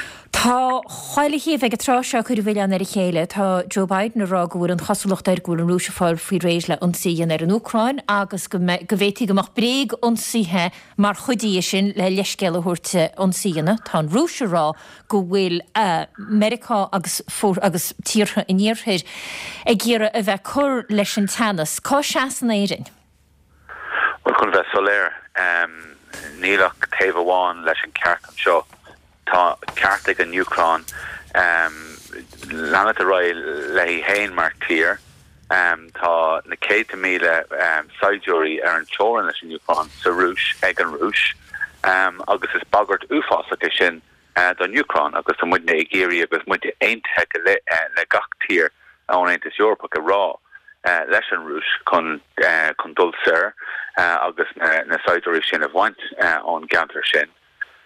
Tá chuile thaobh ag an tráth seo ag cur an mhilleáin ar a chéile. Tá Joe Biden ag rá go bhfuil an chosúlacht air go bhfuil an Rúis ag fáil faoi réir le ionsaí a dhéanamh ar an Úcráin agus go bhféadfaí go mbeadh bréag-ionsaithe mar chuid dhe sin le leithscéal a thabhairt ionsaí a dhéanamh. Tá an Rúis ag rá go bhfuil Meiriceá agus agus tíortha an Iarthair ag iarraidh a bheith ag cur leis an teannas. Cá seasann Éirinn? Bhuel, chun bheith soiléir, níl ach taobh amháin leis an ceart anseo. Tá ceart ag an Úcráin leanacht ar aghaidh léi féin mar tír. Tá na céadta míle saighdiúirí ar an teorainn leis an Úcráin sa Rúis ag an Rúis agus is bagairt uafásach é sin don Úcráin agus tá muidne ag iarraidh agus muid aontaithe le gach tír ón Aontas Eorpach ag rá leis an Rúis chun chun dul soir agus na saighdiúirí sin a bhaint ón gceantar sin.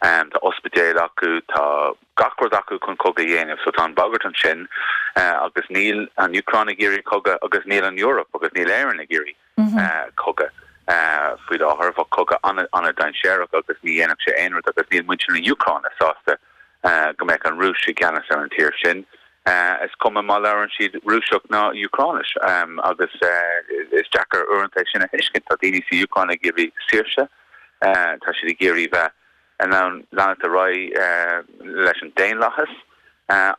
Tá ospidéil acu, tá gach rud acu chun cogadh a dhéanamh so tá an bhagairt ansin agus níl an Úcráin ag iarraidh cogadh agus níl an Eoraip agus níl Éirinn ag iarraidh cogadh faoi láthair. Bheadh cogadh an-dainséarach agus ní dhéanfadh sé aon rud agus níl muintir na hÚcráine sásta go mbeadh an Rúis i gceannas ar an tír sin. Is cuma má labhrann siad Rúiseach ná Úcráinis agus is deacair uaireanta é sin a thuiscint. Tá daoine sa Úcráin ag iarraidh saoirse, tá siad ag iarraidh bheith in ann leanacht ar aghaidh leis an daonlathas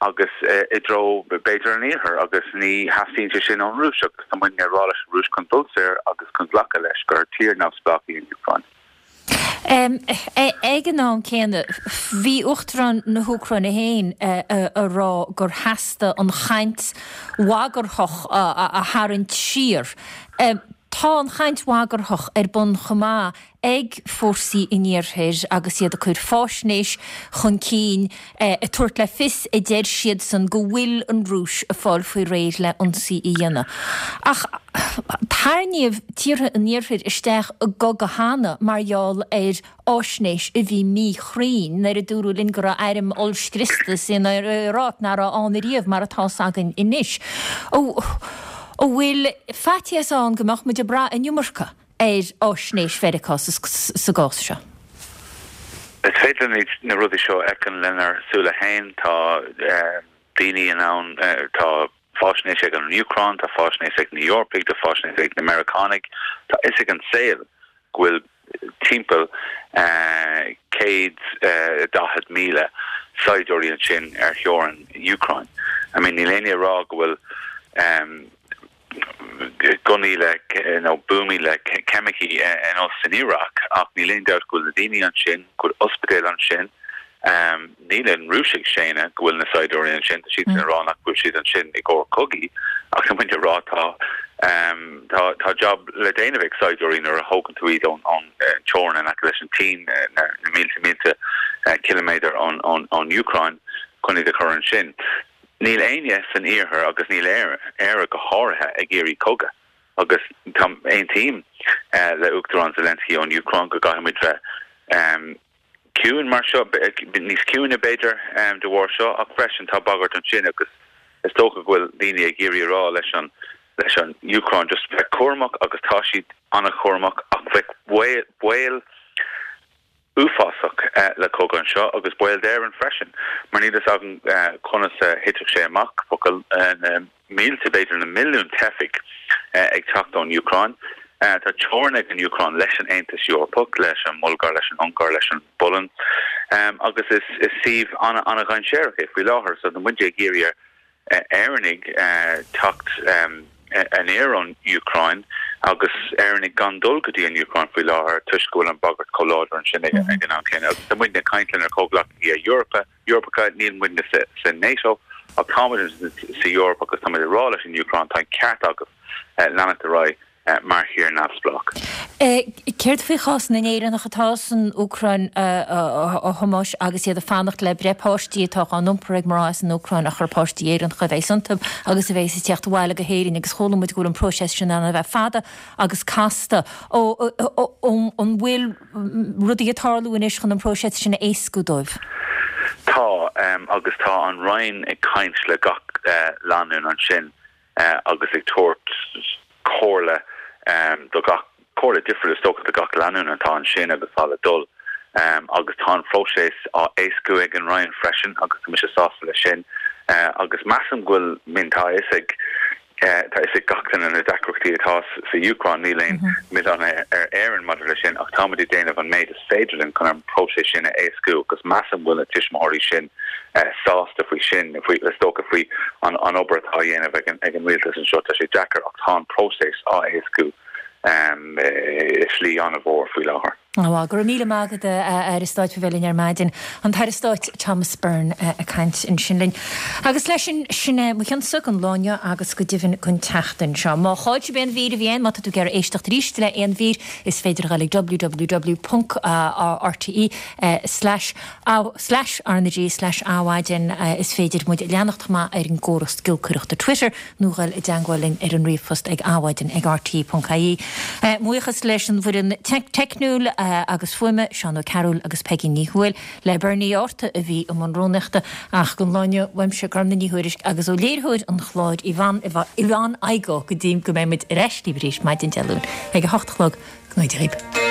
agus i dtreo b'fhéidir an iarthair agus ní theastaíonn sé sin ón Rúis agus tá muidne ag rá leis an Rúis chun dul soir agus chun glacadh leis gur tír neamhspleách í an Úcráin. Ag an am céanna, bhí Uachtarán na hÚcráine féin ag rá gur theastaigh an chaint bhagarthach a tharraingt siar. Tá an chaint bhagarthach ar bun chomh maith ag fórsaí an Iarthair agus iad ag cur fáisnéis chun cinn ag tabhairt le fios, a deir siadsan, go bhfuil an Rúis ag fáil faoi réir le ionsaí a dhéanamh. Ach tarraingíodh tíortha an Iarthair isteach i gcogadh cheana mar gheall ar fháisnéis a bhí míchruinn nuair a dúradh linn go raibh airm ollscriosta san Iaráic nach raibh ann ariamh mar atá's againn anois. An bhfuil faitíos ann go mbeadh muid ag brath an iomarca? ar fháisnéis Mheiriceá sa gcás seo. Is féidir linn na rudaí seo a fheiceáil lenár súile féin. Tá daoine in ann, tá fáisnéis ag an Úcráin, tá fáisnéis ag na Eorpaigh, tá fáisnéis ag na Meiriceánaigh. Tá fhios ag an saol go bhfuil timpeall 140,000 saighdiúirí ansin ar theorainn Úcráin. I mean níl éinne ag rá go bhfuil gunnaí le nó buamaí le ceimicí ar nós san Iaráic ach níl aon dabht go bhfuil na daoine ansin, go bhfuil ospidéil ansin. Níl an Rúis ag séanadh go bhfuil na saighdiúirí ansin, tá siadsan ag rá nach bhfuil siad ansin i gcomhair cogaidh ach tá muid ag rá tá tá tá job le déanamh ag saighdiúirí nuair a thógann tú iad ón ón teorainn in aice leis an tSín na mílte mílte ciliméadar ón ón ón Úcráin chun iad a chur ansin. Níl éinne san iarthar agus níl Éire go háirithe ag iarraidh cogadh agus tá aontaím le Uachtarán Zelensky ón Úcráin go gcaithfidh muid bheith ciúin mar seo, níos ciúine b'fhéidir de bharr seo ach freisin tá bagairt ansin agus is dócha go bhfuil daoine ag iarraidh a rá leis an leis an Úcráin just bheith cúramach agus tá siad an-chúramach ach bheadh baol uafásach le cogadh anseo agus baol d'Éirinn freisin mar níl fhios againn conas a thitfeadh sé amach. Bheadh na mílte, b'fhéidir na milliúin teifigh ag teacht ón Úcráin. Tá teorainn ag an Úcráin leis an Aontas Eorpach, leis an mBulgáir, leis an Ungáir, leis an bPolainn agus is suíomh an-dhainséarach é faoi láthair so tá muid ag iarraidh ar Éireannaigh teacht aniar ón Úcráin agus Éireannaigh gan dul go dtí an Úcráin faoi láthair toisc go bhfuil an bhagairt chomh láidir ansin ag an am céanna. Agus tá muidne ag caint lenár comhghleacaithe Eorpa, Eorpacha, níl muidne sa NATO ach tá muid sa Eoraip agus tá muid ag rá leis an Úcráin tá an ceart agaibh leanacht ar aghaidh mar thír neamhspleách. Céard faoi chás na nÉireannach atá san Úcráin, a Thomáis, agus iad ag fanacht le breith páistí atá á n-iompar ag mná as an Úcráin ach gur páistí Éireannacha a bheas iontu agus a bheas ag teacht abhaile go hÉirinn agus chuala muid go bhfuil an próiseas sin in ann a bheith fada agus casta. An bhfuil rudaí ag tarlú anois chun an próiseas sin a éascú dóibh? Tá, agus tá an Roinn ag caint le gach lánúin ansin agus ag tabhairt comhairle do gach, comhairle difriúil is dócha do gach lánúin atá ansin agus atá le dul. Agus tá an phróiseas á éascú ag an Roinn freisin agus tá mise sásta leis sin. Agus measaim go bhfuil, I mean, tá a fhios ag, tá a fhios ag gach duine na deacrachtaí atá sa Úcráin, níl aon mhilleán ar Éirinn maidir leis sin ach táimid ag déanamh an méid is féidir linn chun an próiseas sin a éascú agus measaim go bhfuil na tuismitheoirí sin sásta faoi sin, faoi, is dócha faoi an obair atá á dhéanamh ag an rialtas anseo. Tá sé deacair ach tá an próiseas á éascú i slí an-mhór faoi láthair. Go raibh míle maith agat, a Aire Stáit, faoi bheith linn ar maidin. An tAire Stáit Thomas Byrne ag caint ansin linn. Agus leis sin, sin é mo chionsa don lá inniu agus go deimhin don tseachtain seo. Má chaill sibh aon mhír a bhí ann, má tá tú ag iarraidh éisteacht arís le aon mhír, is féidir a dhul ag www ponc rte slash slash RnaG slash Adhmhaidin. Is féidir muid a leanacht chomh maith ar an gcóras giolcaireachta Twitter. nó dhul i dteangmháil linn ar an ríomhphost ag adhmhaidin ag rte.ie. Buíochas leis an bhfoireann teicniúil agus fuaime, Seán Ó Cearúil agus Peigí Ní Thuathail, le Bernie Arta a bhí i mbun rúnaíochta, ach don lá inniu, uaimse, Gormfhlaith Ní Thuairisg, agus ó léiritheoir an chláir, Yvonne Yvonne Igoe, go dtí go mbeidh muid ar ais libh arís maidin Dé Luain ag a hocht a chlog, go n-éirí libh.